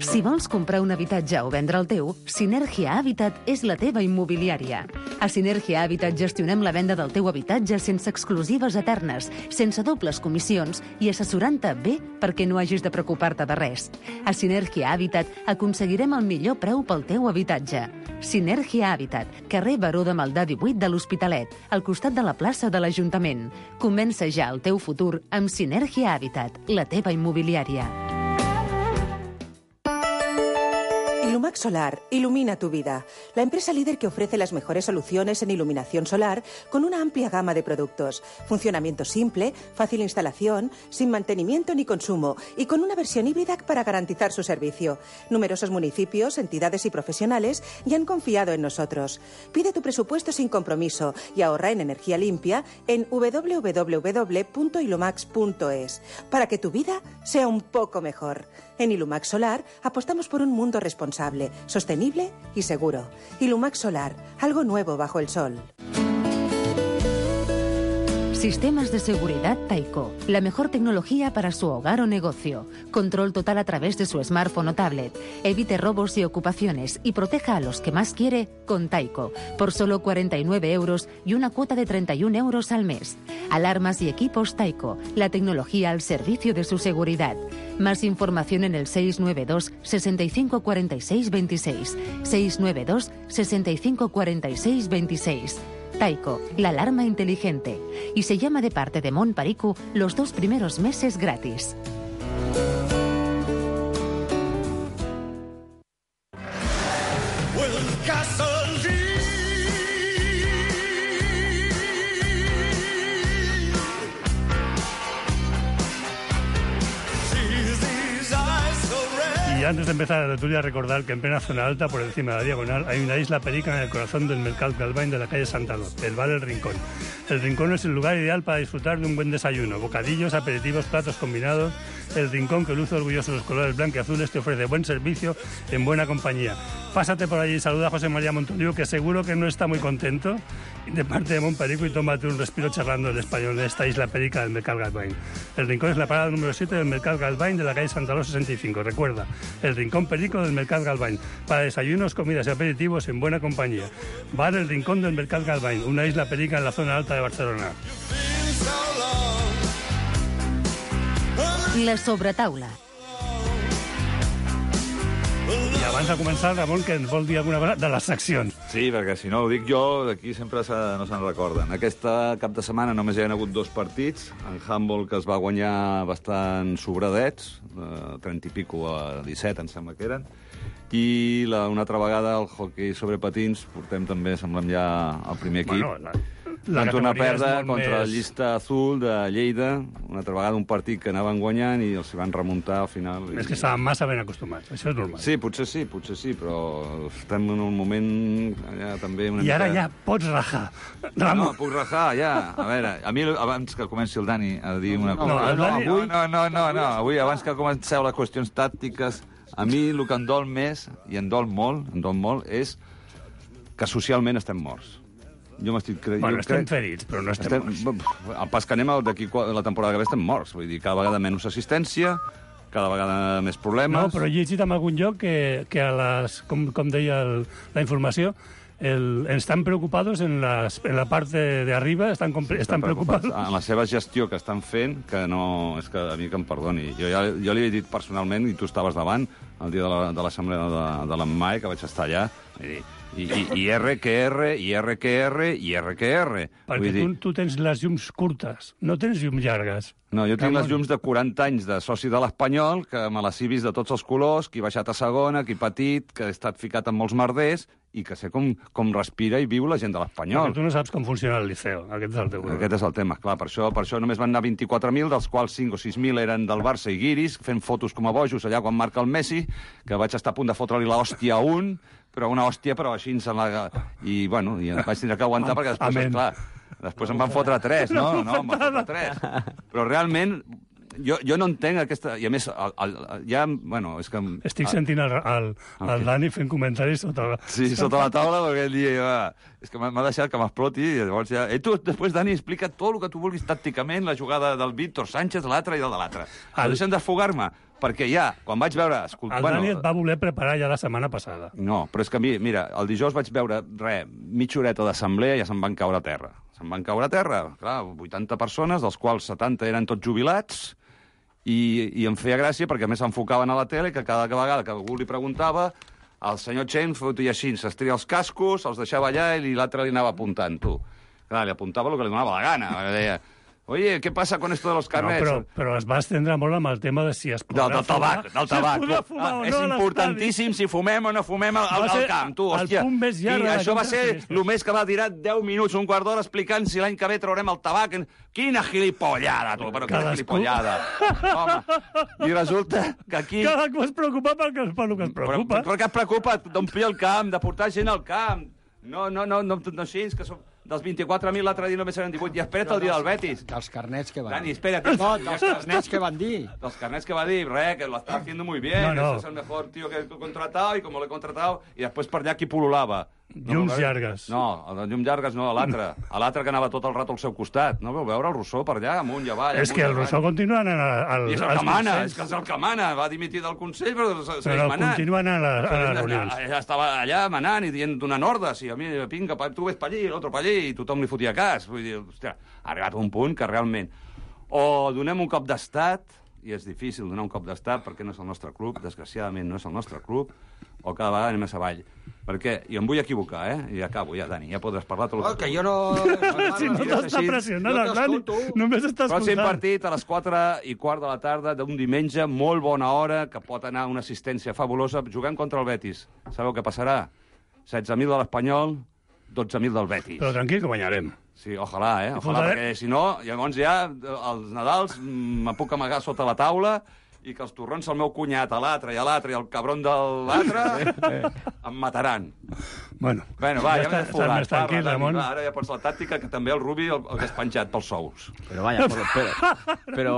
Si vols comprar un habitatge o vendre el teu, Sinergia Habitat és la teva immobiliària. A Sinergia Habitat gestionem la venda del teu habitatge sense exclusives eternes, sense dobles comissions i assessorant-te bé perquè no hagis de preocupar-te de res. A Sinergia Habitat aconseguirem el millor preu pel teu habitatge. Sinergia Habitat, carrer Baró de Maldà divuit de l'Hospitalet, al costat de la plaça de l'Ajuntament. Comença ja el teu futur amb Sinergia Habitat, la teva immobiliària. Ilumax Solar ilumina tu vida. La empresa líder que ofrece las mejores soluciones en iluminación solar con una amplia gama de productos. Funcionamiento simple, fácil instalación, sin mantenimiento ni consumo y con una versión híbrida para garantizar su servicio. Numerosos municipios, entidades y profesionales ya han confiado en nosotros. Pide tu presupuesto sin compromiso y ahorra en energía limpia en doble u doble u doble u punto ilumax punto es para que tu vida sea un poco mejor. En Ilumax Solar apostamos por un mundo responsable, sostenible y seguro. Ilumax Solar, algo nuevo bajo el sol. Sistemas de seguridad Taiko, la mejor tecnología para su hogar o negocio. Control total a través de su smartphone o tablet. Evite robos y ocupaciones y proteja a los que más quiere con Taiko, por solo cuarenta y nueve euros y una cuota de treinta y un euros al mes. Alarmas y equipos Taiko, la tecnología al servicio de su seguridad. Más información en el seis nueve dos, sesenta y cinco cuarenta y seis veintiséis. seis nueve dos, sesenta y cinco cuarenta y seis veintiséis. Taiko, la alarma inteligente. Y se llama de parte de Mon Paricu los dos primeros meses gratis. Y antes de empezar la tertulia, recordar que en plena zona alta, por encima de la diagonal, hay una isla perica en el corazón del Mercat Galvany de la calle Santa Lot, el bar El Rincón. El Rincón es el lugar ideal para disfrutar de un buen desayuno, bocadillos, aperitivos, platos combinados. El Rincón, que luce orgulloso de los colores blanco y azules, te ofrece buen servicio en buena compañía. Pásate por allí y saluda a José María Montoliu, que seguro que no está muy contento, de parte de Montperico, y tómate un respiro charlando el español de esta isla perica del Mercat Galvany. El Rincón es la parada número siete del Mercat Galvany de la calle Santa Lot sesenta y cinco. Recuerda, el Rincón Perico del Mercat Galvany, para desayunos, comidas y aperitivos en buena compañía. Bar El Rincón del Mercat Galvany, una isla perica en la zona alta de Barcelona. La sobretaula. I abans de començar, Ramon, que ens vol dir alguna cosa de les seccions. Sí, perquè si no ho dic jo, d'aquí sempre se, no se'n recorden. Aquesta cap de setmana només hi ha hagut dos partits. En handball, que es va guanyar bastant sobradets, eh, trenta i pico a disset, em sembla que eren. I la, una altra vegada el hockey sobre patins, portem també, semblem ja el primer equip. Bueno, la... La van tornar a perdre contra més... la llista azul de Lleida, una altra vegada un partit que anaven guanyant i els van remuntar al final. És que estaven massa ben acostumats, això és normal. Sí, potser sí, potser sí, però estem en un moment allà també... Una I ara mica... ja pots rajar. No, puc rajar, ja. A veure, a mi abans que comenci el Dani a dir una cosa... No, el Dani... no, no, no, no, no, avui abans que comenceu les qüestions tàctiques, a mi el que em dol més, i em dol molt, em dol molt, és que socialment estem morts. Jo m'estic creient... Bueno, estem crec... ferits, però no estem, estem morts. El pas que anem d'aquí la temporada que ve estem morts. Vull dir, cada vegada menys assistència, cada vegada més problemes... No, però he llegit en algun lloc que, que a les, com, com deia el, la informació, el, están preocupados en, las, en la parte de arriba, están, sí, estan preocupats. En la seva gestió que estan fent, que no... És que a mi que em perdoni. Jo, ja, jo li he dit personalment, i tu estaves davant, el dia de l'assemblea de, de l'Emmae, que vaig estar allà, i, i, i R que R, i R que R, i R que R. Perquè tu, tu tens les llums curtes, no tens llums llargues. No, jo tinc les llums de quaranta anys de soci de l'Espanyol, que me les he vist de tots els colors, qui ha baixat a segona, qui petit, que he estat ficat en molts merders, i que sé com, com respira i viu la gent de l'Espanyol. Perquè tu no saps com funciona el Liceo, aquest és el teu problema. Aquest és el tema, clar, per això, per això només van anar vint-i-quatre mil, dels quals cinc o sis mil eren del Barça i guiris, fent fotos com a bojos allà quan marca el Messi, que vaig estar a punt de fotre-li l'hòstia a un, però una hòstia, però així en la... I, bueno, i vaig tindre que aguantar perquè després, Amén. clar, després em van fotre tres, no? No, em van fotre tres. Però realment... Jo, jo no entenc aquesta... I a més, el, el, ja... Bueno, és que... Estic sentint el, el, el, el Dani fent comentaris sota la... Sí, sota la taula, perquè ell dia... Va, és que m'ha deixat que m'exploti, i llavors ja... Eh, tu, després, Dani, explica tot el que tu vulguis tàcticament, la jugada del Víctor Sánchez, l'altre i el de l'altre. El... Deixem desfogar-me, perquè ja, quan vaig veure... Escolta, el bueno, Dani et va voler preparar ja la setmana passada. No, però és que, mira, el dijous vaig veure, res, mitja horeta d'assemblea i ja se'n van caure a terra. Se'n van caure a terra, clar, vuitanta persones, dels quals setanta eren tots jubilats, I, i em feia gràcia perquè a més s'enfocaven a la tele, que cada vegada que algú li preguntava el senyor Chen fotia així, s'estria els cascos, els deixava allà i l'altre li anava apuntant, tu. Clar, li apuntava el que li donava la gana. Deia, oye, ¿qué pasa con esto de los carnets? No, però, però es va estendre molt amb el tema de si es podrà del, del tabac, fumar. Del tabac. Si es podrà fumar ah, o no és importantíssim si fumem o no fumem al, al, al camp, tu, hòstia. El punt més llarg I de això va ser el més que va tirar deu minuts, un quart d'hora, explicant si l'any que ve traurem el tabac. Quina gilipollada, tu, però quina gilipollada. Home, i resulta que aquí... Cadascú es preocupa pel que, pel que es preocupa. Però, però què et preocupa? D'omplir el camp, de portar gent al camp. No, no, no, no, no així, que som... Dels vint-i-quatre mil l'altre dia només eren divuit. I espera't el dia del Betis. Dels carnets que van Dani, dir. espera't. No, dels carnets que van dir. Dels carnets que va dir, res, que lo está haciendo muy bien, no, no. ese es el mejor tío que he contratado y como l'he contratado, i després per allà qui pol·lulava. No, llums llargues. No, el de llums llargues no, l'altre. L'altre que anava tot el rato al seu costat. No veu veure el Rousseau per allà, amunt i avall. És que el Rousseau continua anant al, I és el que mana, és que és el que mana. Va dimitir del Consell, però segueix però manant. continua anant a, a les reunions. Ja estava allà manant i dient donant ordres. I a mi, vinga, tu ves per allí, l'altre per allí, i tothom li fotia cas. Vull dir, hòstia, ha arribat a un punt que realment o donem un cop d'estat, i és difícil donar un cop d'estat perquè no és el nostre club, desgraciadament no és el nostre club, o cada vegada anem més avall. Perquè, i em vull equivocar, eh? I acabo, ja, Dani, ja podràs parlar tot el que... Oh, que jo no... Si no t'està pressionant, el Dani, només està escoltant. Pròxim partit a les quatre i quart de la tarda d'un diumenge, molt bona hora, que pot anar una assistència fabulosa, jugant contra el Betis. Sabeu què passarà? setze mil de l'Espanyol, dotze mil del Betis. Però tranquil, que guanyarem. Sí, ojalà, eh? Ojalà, perquè si no, llavors ja, els Nadals, me puc amagar sota la taula i que els torrons al meu cunyat, a l'altre i a l'altre i el cabron de l'altre em mataran. Bueno, bueno va, ja, ja m'he desfogat. més tranquil, Parla, Ramon. Va, ara ja pots la tàctica, que també el Rubi el, el que és penjat pels sous. Pero vaya, por, pero, pero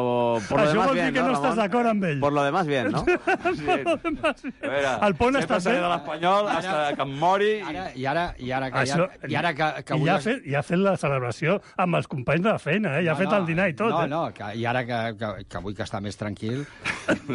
por lo Això demás vol dir bien, que no, ¿no, estàs Ramon? d'acord amb ell. Por lo demás bien, ¿no? Sí. A veure, El pont està sempre seré fet. de l'Espanyol fins que em mori. Ara, I ara, i ara que, Això, ja, i ara que, que I avui... ja ha, fet, ja ha fet la celebració amb els companys de la feina, eh? Ja ha fet el dinar i tot. No, eh? no, que, i ara que, que, que avui que està més tranquil,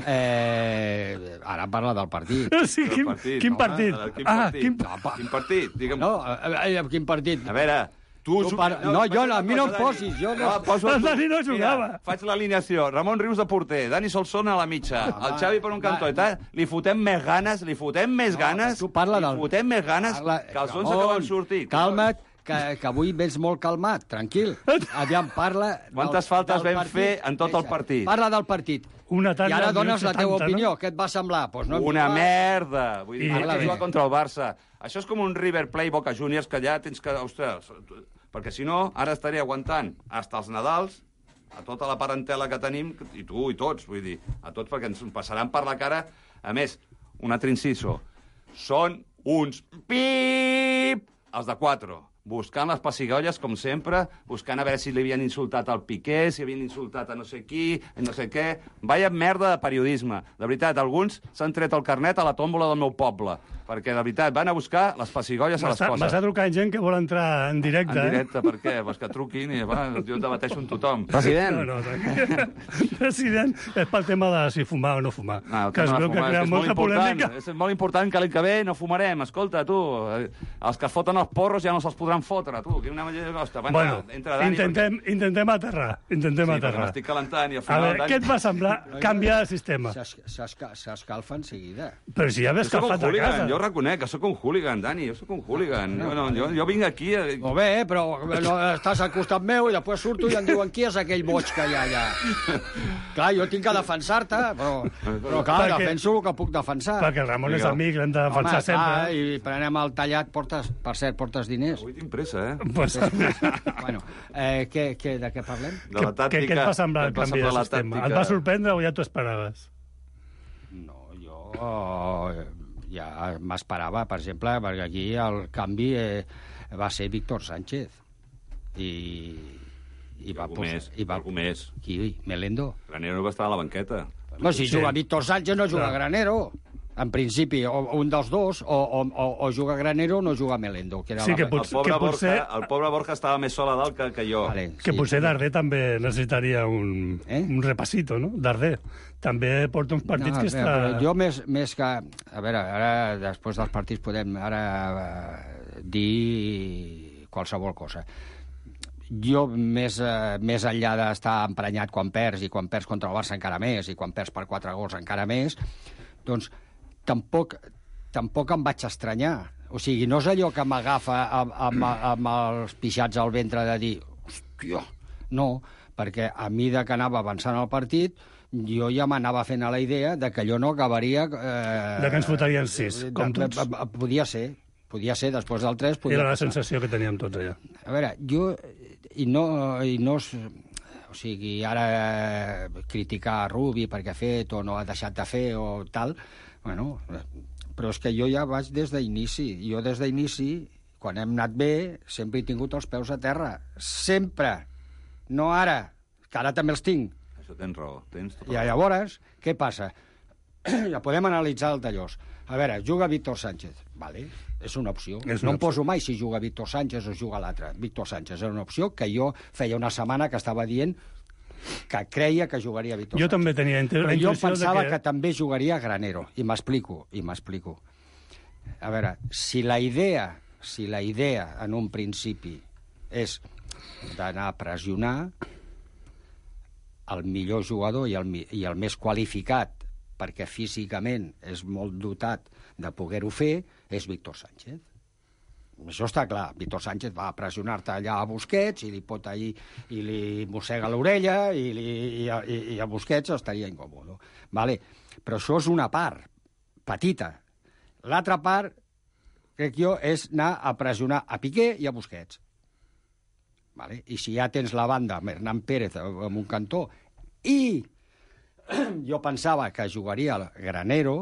eh, ara parla del partit. Sí, quin, partit, quin home, partit? quin Ah, partit? quin... No, quin partit? Digue'm. No, a, a, quin partit? A veure, tu... Tu par... No, jo, a mi no em posis, jo no... Ah, poso El tu. Dani no jugava. Mira, faig l'alineació. Ramon Rius de porter, Dani Solsona a la mitja, Ah, el va, Xavi per un cantó va. i tal. Li fotem més ganes, li fotem més No, ganes, tu parla li del- fotem més ganes Parla... que els onze que van sortir. Calma't, que, que avui vens molt calmat, tranquil. Aviam, parla... Quantes del, faltes del vam partit. fer en tot el partit? Parla del partit. Una I ara dones la teva setanta, opinió. no? Què et va semblar? Pues no em Una dius- merda! Vull dir, I- I, que i- jugar contra el Barça. Això és com un River Plate Boca Juniors, que ja tens que... Ostres, perquè si no, ara estaré aguantant hasta els Nadals, a tota la parentela que tenim, i tu i tots, vull dir, a tots, perquè ens passaran per la cara. A més, un altre inciso, són uns pip els de quatre. buscant les pessigolles, com sempre, buscant a veure si li havien insultat al Piqué, si havien insultat a no sé qui, no sé què. Vaya merda de periodisme. De veritat, alguns s'han tret el carnet a la tòmbola del meu poble, perquè, de veritat, van a buscar les pessigolles a les coses. M'està trucant gent que vol entrar en directe, eh? En directe, per què? Pues que truquin i va, jo debateixo amb tothom. President! No, no, president, és pel tema de si fumar o no fumar. No, que es veu que crea molta polèmica. És molt important que l'any que ve no fumarem. Escolta, tu, els que es foten els porros ja no se'ls podran fotre, tu. Que una manera de costa. Bueno, entra, Dani, intentem, perquè... intentem aterrar. Intentem sí, aterrar. m'estic calentant i al final... A veure, Dani... què et va semblar canviar el sistema? S'escalfa en seguida. Però si ja ve escalfat a casa. Jo reconec que sóc un hooligan, Dani, jo sóc un hooligan. No, no, jo, jo vinc aquí... A... Molt bé, però no, estàs al costat meu i després surto i em diuen qui és aquell boig que hi ha allà. Clar, jo tinc que defensar-te, però, però clar, perquè, defenso el que puc defensar. Perquè el Ramon és amic, l'hem de defensar Home, sempre. Clar, i prenem el tallat, portes, per cert, portes diners. Avui tinc pressa, eh? Pues... bueno, eh, què, què, de què parlem? De la tàctica. Què et va semblar el canvi de sistema? Et va sorprendre o ja t'ho esperaves? No, jo ja m'esperava, per exemple, perquè aquí el canvi eh, va ser Víctor Sánchez. I... I va posar... Més, i va... més. Qui? Melendo? Granero va estar a la banqueta. No, si sí. Juga Víctor Sánchez no juga no. Granero. En principi, o un dels dos, o, o, o juga Granero o no juga Melendo. Que era sí, la... que, pot, el, pobre que potser... Borja, el pobre Borja estava més sol a dalt que, que jo. Vale, que sí. potser Darder també necessitaria un, eh? un repasito, no? Darder també porta uns partits no, que està... Però jo més, més que... A veure, ara, després dels partits podem ara uh, dir qualsevol cosa. Jo, més, eh, més enllà d'estar emprenyat quan perds, i quan perds contra el Barça encara més, i quan perds per quatre gols encara més, doncs tampoc, tampoc em vaig estranyar. O sigui, no és allò que m'agafa amb, amb, amb els pixats al ventre de dir, hòstia, no, perquè a mesura que anava avançant el partit, jo ja m'anava fent a la idea de que allò no acabaria... Eh, de que ens fotarien sis, com tots. Podia ser, podia ser, després del tres... Era la passar. sensació que teníem tots allà. A veure, jo... I no... I no o sigui, ara criticar a Rubi perquè ha fet o no ha deixat de fer o tal... Bueno, però és que jo ja vaig des d'inici. Jo des d'inici, quan hem anat bé, sempre he tingut els peus a terra. Sempre. No ara, que ara també els tinc. Això tens raó. Tens I llavors, què passa? Ja podem analitzar el tallós. A veure, juga Víctor Sánchez. Vale, és una opció. És una no em poso mai si juga Víctor Sánchez o juga l'altre. Víctor Sánchez era una opció que jo feia una setmana que estava dient que creia que jugaria Víctor jo Sánchez. També tenia la Però jo pensava que... que també jugaria Granero. I m'explico, i m'explico. A veure, si la idea, si la idea en un principi és d'anar a pressionar, el millor jugador i el, i el més qualificat, perquè físicament és molt dotat de poder-ho fer, és Víctor Sánchez. Això està clar. Víctor Sánchez va a pressionar-te allà a Busquets i li pot allí, i li mossega l'orella i, li, i, a, i a Busquets estaria incòmode. Vale. Però això és una part petita. L'altra part, crec jo, és anar a pressionar a Piqué i a Busquets. Vale. I si ja tens la banda amb Hernán Pérez en un cantó i jo pensava que jugaria el Granero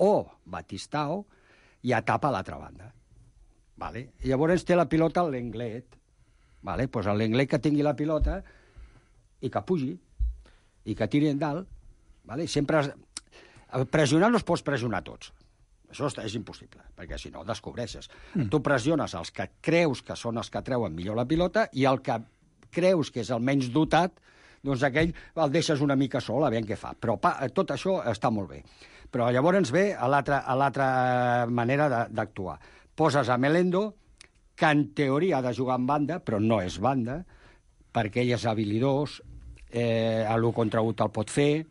o Batistao i a tapa a l'altra banda. Vale. I llavors té la pilota l'Englet. Vale. Pues l'Englet que tingui la pilota i que pugi i que tiri endalt. Vale. Sempre has... pressionar no es pots pressionar tots. Això és impossible, perquè si no descobreixes. Mm. Tu pressiones els que creus que són els que treuen millor la pilota i el que creus que és el menys dotat, doncs aquell el deixes una mica sol a veure què fa. Però pa, tot això està molt bé. Però llavors ens ve a l'altra manera d'actuar. Poses a Melendo, que en teoria ha de jugar en banda, però no és banda, perquè ell és habilidós, eh, a l'u contra u te'l pot fer,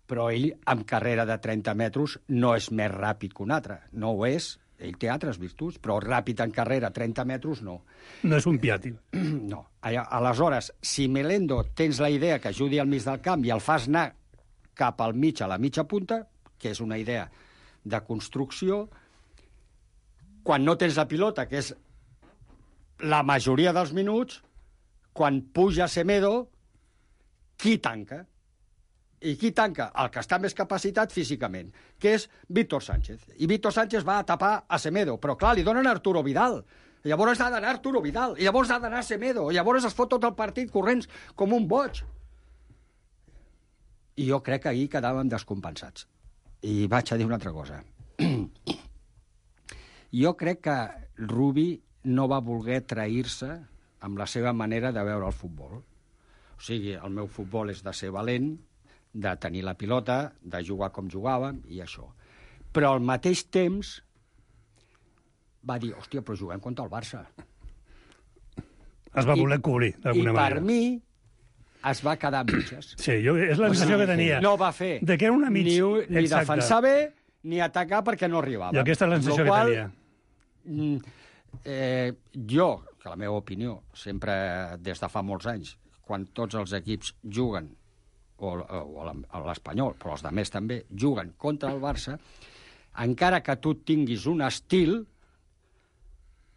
però ell, amb carrera de trenta metres, no és més ràpid que un altre. No ho és. Ell té altres virtuts, però ràpid en carrera, trenta metres, no. No és un Piatti. No. Aleshores, si Melendo tens la idea que ajudi al mig del camp i el fas anar cap al mig, a la mitja punta, que és una idea de construcció, quan no tens la pilota, que és la majoria dels minuts, quan puja Semedo, qui tanca? I qui tanca? El que està més capacitat físicament, que és Víctor Sánchez. I Víctor Sánchez va a tapar a Semedo, però clar, li donen Arturo Vidal. Llavors ha d'anar Arturo Vidal, i llavors ha d'anar Semedo, i llavors es fot tot el partit corrents com un boig. I jo crec que ahir quedàvem descompensats. I vaig a dir una altra cosa. Jo crec que Rubi no va voler trair-se amb la seva manera de veure el futbol. O sigui, el meu futbol és de ser valent, de tenir la pilota, de jugar com jugàvem, i això. Però al mateix temps va dir, hòstia, però juguem contra el Barça. Es va voler cobrir, d'alguna manera. I per mi es va quedar a mitges. Sí, jo, és la sensació que tenia. No va fer de que era una mig... ni, ni Exacte. defensar bé ni atacar perquè no arribava. I aquesta és la sensació que qual, tenia. Eh, jo, que la meva opinió, sempre des de fa molts anys, quan tots els equips juguen, o, o l'Espanyol, però els altres també, juguen contra el Barça, encara que tu tinguis un estil,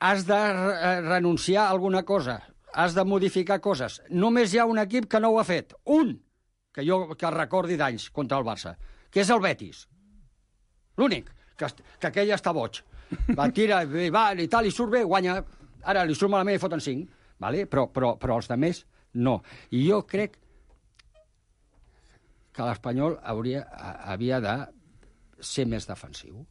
has de renunciar a alguna cosa, has de modificar coses. Només hi ha un equip que no ho ha fet. Un, que jo que recordi d'anys contra el Barça, que és el Betis. L'únic, que, que aquell està boig. Va, tira, va, i tal, i surt bé, guanya. Ara li surt malament i foten cinc. Vale? Però, però, però els altres, no. I jo crec que l'Espanyol hauria, havia de ser més defensiu.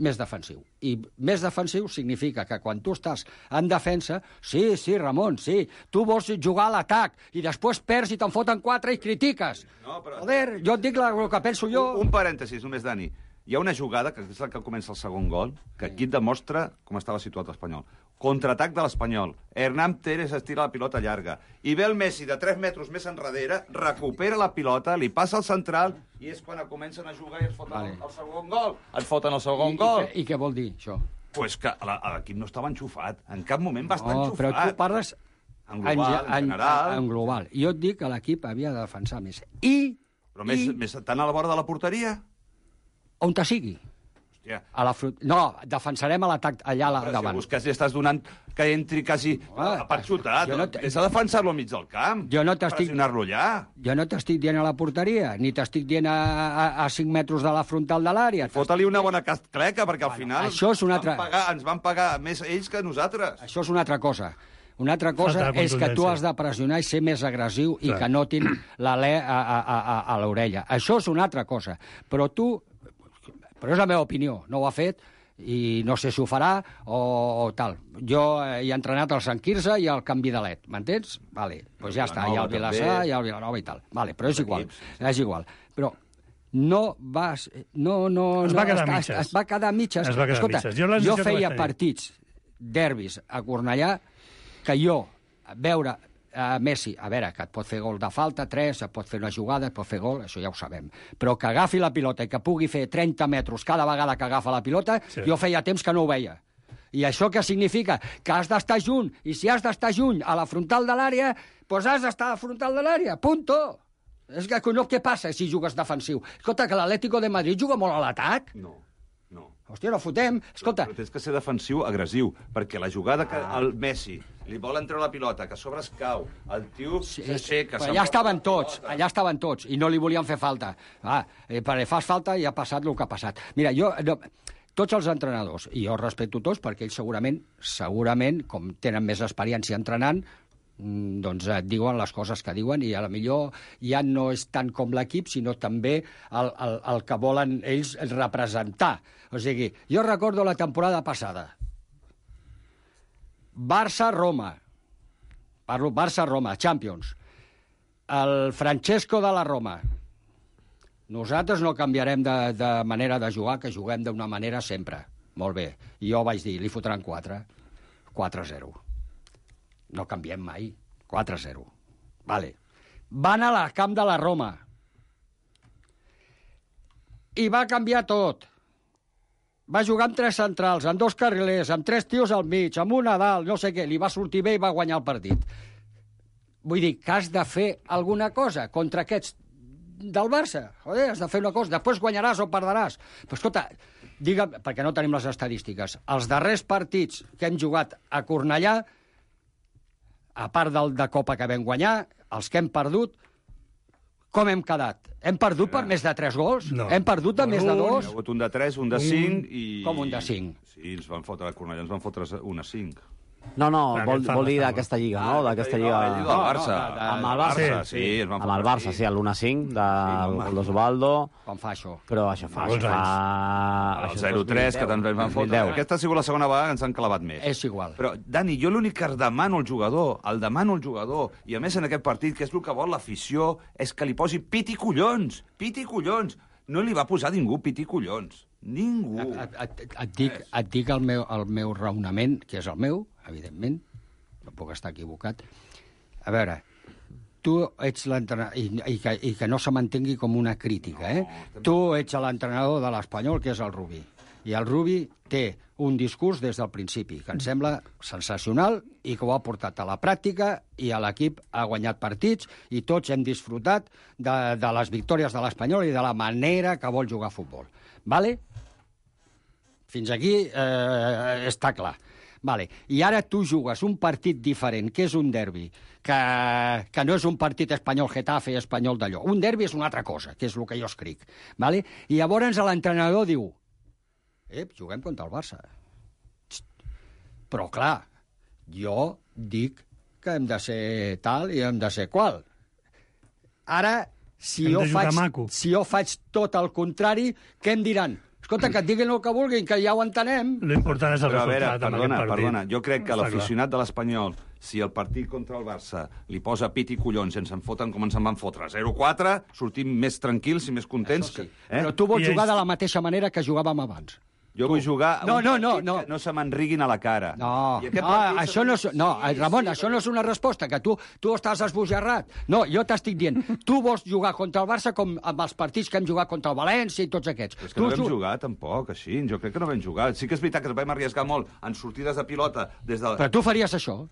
Més defensiu. I més defensiu significa que quan tu estàs en defensa, sí, sí, Ramon, sí, tu vols jugar a l'atac i després perds i te'n foten quatre i critiques. No, però... Joder, jo et dic el que penso jo... Un, un parèntesis, només, Dani. Hi ha una jugada, que és la que comença el segon gol, que aquí et demostra com estava situat l'Espanyol. Contraatac de l'Espanyol. Hernán Pérez estira la pilota llarga. I ve el Messi de tres metres més enrere, recupera la pilota, li passa al central, i és quan comencen a jugar i es foten vale. el, el segon gol. Et foten el segon I, gol. I, I què vol dir, això? Pues que l'equip no estava enxufat. En cap moment va estar no, enxufat. Però tu parles... En global, en, en general. En, en global. Jo et dic que l'equip havia de defensar més. I... Però més, i... més tant a la vora de la porteria? On te sigui. A la frut... No, defensarem a l'atac allà a però davant. Si quasi estàs donant que entri quasi ah, a part xutat. No és a defensar-lo al mig del camp. Jo no t'estic... Pressionar-lo allà. Jo no t'estic dient a la porteria, ni t'estic dient a, a, a cinc metres de la frontal de l'àrea. Fota-li una bona cascleca, perquè al bueno, final això és una altra... van pagar, ens van pagar més ells que nosaltres. Això és una altra cosa. Una altra cosa és que tu has de pressionar i ser més agressiu i que notin l'alè a, a, a, a l'orella. Això és una altra cosa. Però tu... Però és la meva opinió. No ho ha fet i no sé si ho farà o, o tal. Jo he entrenat al Sant Quirze i al Can Vidalet, m'entens? Vale, doncs ja està, hi ha el Vilassar, hi ha el Vilanova i tal. Vale, però és igual, és igual. Però no vas... No, no, es no, va quedar es, mitges. Es, es va quedar mitges. Es va quedar Escolta, mitges. Jo, jo feia partits, derbis a Cornellà, que jo, a veure... Uh, Messi, a veure, que et pot fer gol de falta, tres, et pot fer una jugada, et pot fer gol, això ja ho sabem. Però que agafi la pilota i que pugui fer trenta metres cada vegada que agafa la pilota, sí. Jo feia temps que no ho veia. I això què significa? Que has d'estar junt, i si has d'estar junt a la frontal de l'àrea, doncs has d'estar a la frontal de l'àrea, punto. És que no, què passa si jugues defensiu? Escolta, que l'Atlético de Madrid juga molt a l'atac. No. No. Hòstia, no fotem. Escolta... Però tens que ser defensiu, agressiu, perquè la jugada que el Messi li vol entrar la pilota, que a sobre es cau, el tio s'aixeca... Sí, allà estaven tots, allà estaven tots, i no li volien fer falta. Ah, eh, perquè fas falta i ha passat el que ha passat. Mira, jo... No, tots els entrenadors, i jo respecto tots, perquè ells segurament, segurament, com tenen més experiència entrenant, doncs et diuen les coses que diuen i a la millor ja no és tant com l'equip, sinó també el, el, el que volen ells representar. O sigui, jo recordo la temporada passada. Barça-Roma. Parlo Barça-Roma, Champions. El Francesco de la Roma. Nosaltres no canviarem de, de manera de jugar, que juguem d'una manera sempre. Molt bé. I jo vaig dir, li fotran quatre. quatre a zero. No canviem mai. quatre a zero. Vale. Van a la camp de la Roma. I va canviar tot. Va jugar amb tres centrals, amb dos carrilers, amb tres tios al mig, amb un a dalt, no sé què. Li va sortir bé i va guanyar el partit. Vull dir que has de fer alguna cosa contra aquests del Barça. Joder, has de fer una cosa. Després guanyaràs o perdràs. Però escolta, digue'm, perquè no tenim les estadístiques, els darrers partits que hem jugat a Cornellà, a part del de Copa que vam guanyar, els que hem perdut, Com hem quedat? Hem perdut per més de tres gols? No. Hem perdut de més de dos? Hi ha hagut un de tres, un de cinc i... Com un de cinc? Sí, ens van fotre a Cornellà, ens van fotre un a cinc. No, no, vol, vol dir d'aquesta lliga, no? D'aquesta lliga... No, ell diu del Barça. No, no, amb el Barça, sí, sí, ens van amb el Barça, sí, l'un a cinc del gol d'Osvaldo. Com fa això? Però això fa... Això fa... El zero tres, que també ens van fotre. Aquesta ha sigut la segona vegada que ens han clavat més. És igual. Però, Dani, jo l'únic que demano al jugador, el demano al jugador, i a més en aquest partit, que és el que vol l'afició, és que li posi piti collons, piti collons. No li va posar ningú piti collons. Ningú. Et, et, et, dic, et dic el meu, el meu raonament, que és el meu, evidentment, no puc estar equivocat. A veure, tu ets l'entrenador, i, i, que, i que no se mantengui com una crítica, eh? No, tu ets l'entrenador de l'Espanyol, que és el Rubí. I el Rubí té un discurs des del principi, que em sembla sensacional i que ho ha portat a la pràctica i a l'equip ha guanyat partits i tots hem disfrutat de, de les victòries de l'Espanyol i de la manera que vol jugar a futbol. Vale? Fins aquí eh, està clar. Vale. I ara tu jugues un partit diferent, que és un derbi, que, que no és un partit espanyol-Getafe i espanyol d'allò. Un derbi és una altra cosa, que és el que jo escric. Vale? I llavors l'entrenador diu eh, juguem contra el Barça. Però, clar, jo dic que hem de ser tal i hem de ser qual. Ara, si jo, faig, si jo faig tot el contrari, què em diran? Escolta, que et diguin el que vulguin, que ja ho entenem. L'important és el Però, resultat. a veure, perdona, perdona, jo crec que Està l'aficionat de l'Espanyol, si el partit contra el Barça li posa pit i collons i ens en foten com ens en van fotre zero quatre, sortim més tranquils i més contents. Sí. Que, eh? Però tu vols jugar de la mateixa manera que jugàvem abans. Jo vull jugar a no, un no, no, partit no. que no se m'enriguin a la cara. No, no això no és, no, Ramon, això no és una resposta, que tu, tu estàs esbojarrat. No, jo t'estic dient, tu vols jugar contra el Barça com amb els partits que hem jugat contra el València i tots aquests. És que tu no vam jugar, tampoc, així. Jo crec que no vam jugar. Sí que és veritat que ens vam arriesgar molt en sortides de pilota des de... Però tu faries això?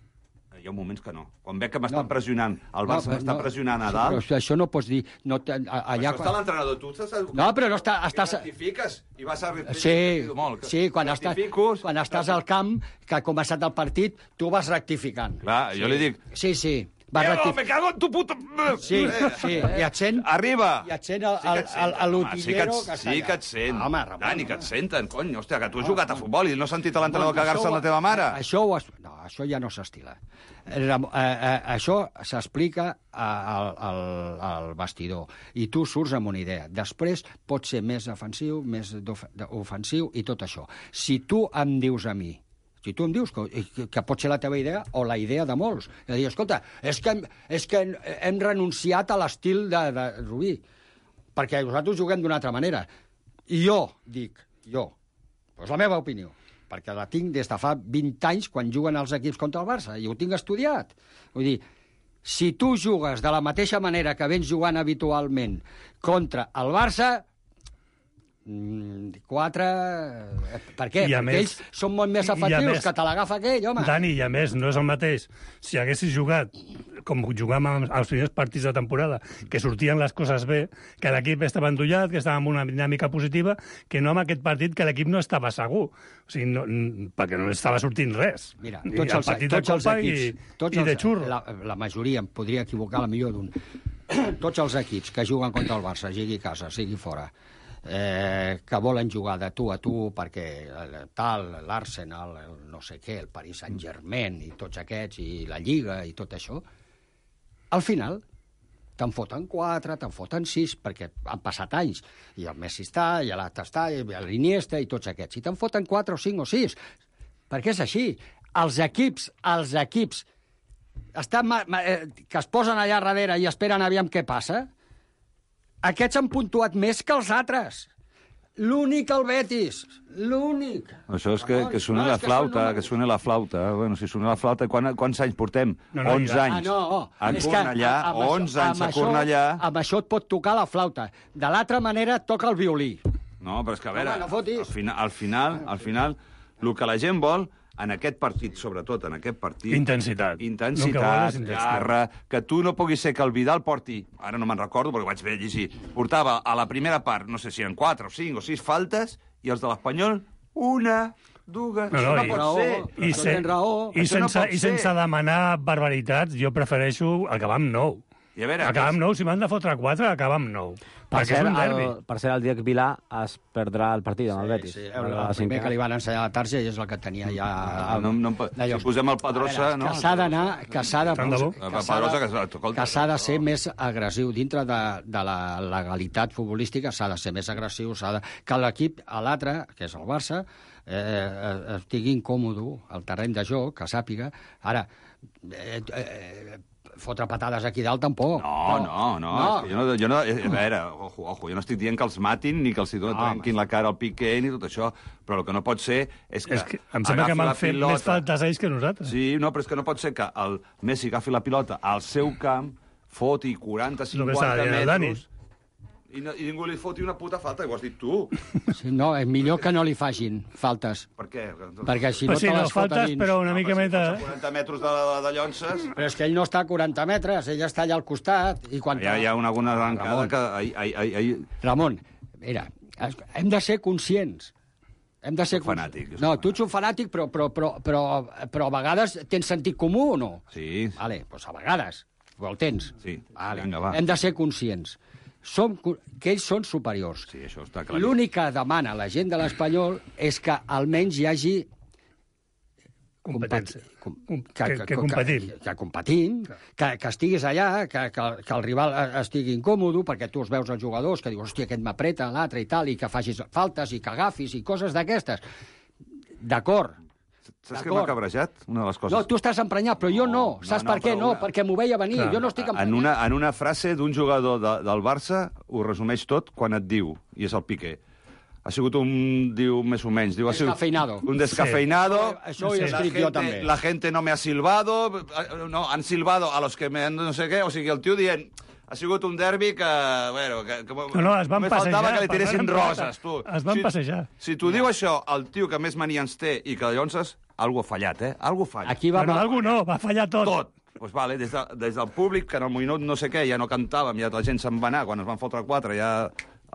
Hi ha moments que no. Quan veig que m'estan no. pressionant, el Barça no, m'està no, pressionant a dalt... Però això no pots dir... No, allà, això està l'entrenador, tu estàs... No, però no està... Estàs... Rectifiques i vas a... Sí, molt, sí quan, estàs, quan estàs al camp, que ha començat el partit, tu vas rectificant. Clar, sí. jo li dic... Sí, sí. Diego, me cago en tu puta... Sí, sí, i et sent... Arriba! I et sent l'utillero... Sí que et sent. Home, Dani, que et senten, cony. Hòstia, que tu has jugat a futbol i no has sentit l'entrenador cagar-se amb la teva mare. Això ho has... No, això ja no s'estila. Això s'explica al, al, al vestidor i tu surts amb una idea. Després pot ser més ofensiu, més ofensiu i tot això. Si tu em dius a mi, si tu em dius que, que pot ser la teva idea o la idea de molts, de dir, escolta, és que, és que hem renunciat a l'estil de, de Rubí, perquè nosaltres juguem d'una altra manera. I jo dic, jo, és la meva opinió, perquè la tinc des de fa vint anys quan juguen els equips contra el Barça, i ho tinc estudiat. Vull dir, si tu jugues de la mateixa manera que vens jugant habitualment contra el Barça, quatre... Per què? Perquè més, ells són molt més efectius més, que te l'agafa aquell, home. Dani, i a més, no és el mateix. Si haguessis jugat com jugàvem als primers partits de temporada, que sortien les coses bé, que l'equip estava endollat, que estava amb una dinàmica positiva, que no amb aquest partit que l'equip no estava segur. O sigui, no, perquè no estava sortint res. Mira, tots els, el tots els equips, i, tots i de xurro. La, la majoria, em podria equivocar la millor d'un... Tots els equips que juguen contra el Barça, sigui a casa, sigui fora, Eh, que volen jugar de tu a tu perquè tal, l'Arsenal, el no sé què, el Paris Saint-Germain i tots aquests, i la Lliga i tot això, al final te'n foten quatre, te'n foten sis, perquè han passat anys, i el Messi està, i l'altre està, i l'Iniesta, i tots aquests, i te'n foten quatre o cinc o sis, perquè és així. Els equips, els equips estan, que es posen allà darrere i esperen aviam què passa, aquests han puntuat més que els altres. L'únic el Betis. L'únic. Això és que, que soni la flauta, que soni la flauta. Bueno, si soni la flauta, quan, quants anys portem? No, no, onze anys. Ah, no. A Cornellà, onze anys a Cornellà. Amb això et pot tocar la flauta. De l'altra manera, toca el violí. No, però és que, a veure, no, no al, final, al final, al final, el que la gent vol, en aquest partit, sobretot en aquest partit... Intensitat. Intensitat, garra, que tu no puguis ser que el Vidal porti, ara no me'n recordo perquè vaig bé llegir, portava a la primera part, no sé si en quatre o cinc o sis faltes, i els de l'Espanyol, una, dues... No, no, no i, pot ser. I, se, raó, i, sense, no I sense demanar barbaritats, jo prefereixo acabar amb nou. I a veure... Acaba amb nou, si m'han de fotre quatre, acaba amb nou. Per Perquè cert, és un derbi. el, per cert, el Diego Vilà es perdrà el partit amb el Betis. Sí, el, el primer que li van ensenyar a la targeta és el que tenia ja... Ah, no, no, si posem el Pedrosa, no? Que s'ha d'anar... Que s'ha de, Tant de bo. que s'ha de, que s'ha de ser més agressiu. Dintre de, de la legalitat futbolística s'ha de ser més agressiu, s'ha de... Que l'equip, a l'altre, que és el Barça, eh, estigui incòmodo al terreny de joc, que sàpiga. Ara, eh, eh, fotre patades aquí dalt tampoc. No, no, no. no. Jo no, jo no a veure, ojo, ojo, jo no estic dient que els matin ni que els no, trenquin la cara al Piqué ni tot això, però el que no pot ser és que... És que em sembla que m'han fet més faltes ells que nosaltres. Sí, no, però és que no pot ser que el Messi agafi la pilota al seu camp, foti quaranta cinquanta metres... I, no, i ningú li foti una puta falta, i ho has dit tu. Sí, no, és millor que no li facin faltes. Per què? Perquè si no sí, te no, les fota faltes, dins... però una mica no, més de... Si quaranta metres de, de, de llonces... Però és que ell no està a quaranta metres, ell està allà al costat. I quan hi, ha, hi ha una, alguna arrencada Ramon, que... Ai, ai, ai, ai... Ramon, mira, hem de ser conscients. Hem de ser fanàtic. No, tu ets un fanàtic, però, però, però, però, però a vegades tens sentit comú o no? Sí. Vale, doncs a vegades. El tens. Sí, vale. Vinga, va. Hem de ser conscients. Som, que ells són superiors. Sí, això està clar. L'únic que demana la gent de l'Espanyol és que almenys hi hagi... competència. Com, que, que, que, que competim. Que, que competim, que, que estiguis allà, que, que, que el rival estigui incòmodo, perquè tu els veus els jugadors, que dius, hòstia, aquest m'apreta, l'altre i tal, i que facis faltes i que agafis i coses d'aquestes. D'acord. Saps què m'ha cabrejat? Una de les coses... No, tu estàs emprenyat, però jo no. no Saps no, no, per què? No, una... perquè m'ho veia venir. Clar. Jo no estic emprenyat. En una, en una frase d'un jugador de, del Barça ho resumeix tot quan et diu, i és el Piqué. Ha sigut un, diu, més o menys... Diu, descafeinado. Un descafeinado. Sí. Això ho he escrit jo també. La gente no me ha silbado. No, han silbado a los que me han no sé què. O sigui, el tio dient... Ha sigut un derbi que... Bueno, que, que no, no, es van passejar. Faltava que li tiressin roses, tu. Es van si, passejar. Si t'ho diu això, el tio que més mania ens té i que llavors... Algo ha fallat, eh? Algo falla. Aquí va... Bueno, algo no, va fallar tot. Tot. Pues vale, des, de, des del públic, que en el minut no sé què, ja no cantàvem, ja la gent se'n va anar, quan es van fotre quatre ja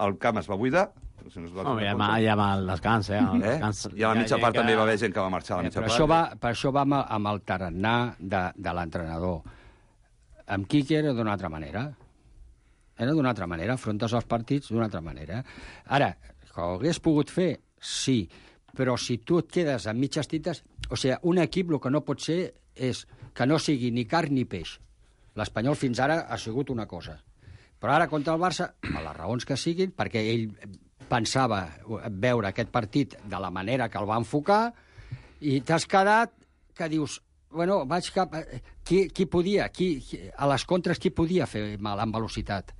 el camp es va buidar. Si no va no, ja, ma, ja va el descans, eh? El eh? descans, I a la mitja part que... també hi va haver gent que va marxar a la mitja per part. Això va, per això va amb, amb el tarannà de, de l'entrenador. Amb Quique era d'una altra manera. Era d'una altra manera, afrontes els partits d'una altra manera. Ara, que ho hagués pogut fer, sí, però si tu et quedes amb mitges tintes... O sigui, un equip el que no pot ser és que no sigui ni carn ni peix. L'Espanyol fins ara ha sigut una cosa. Però ara contra el Barça, per les raons que siguin, perquè ell pensava veure aquest partit de la manera que el va enfocar, i t'has quedat que dius... Bueno, vaig cap... Qui, qui podia? Qui, qui, a les contres, qui podia fer mal en velocitat?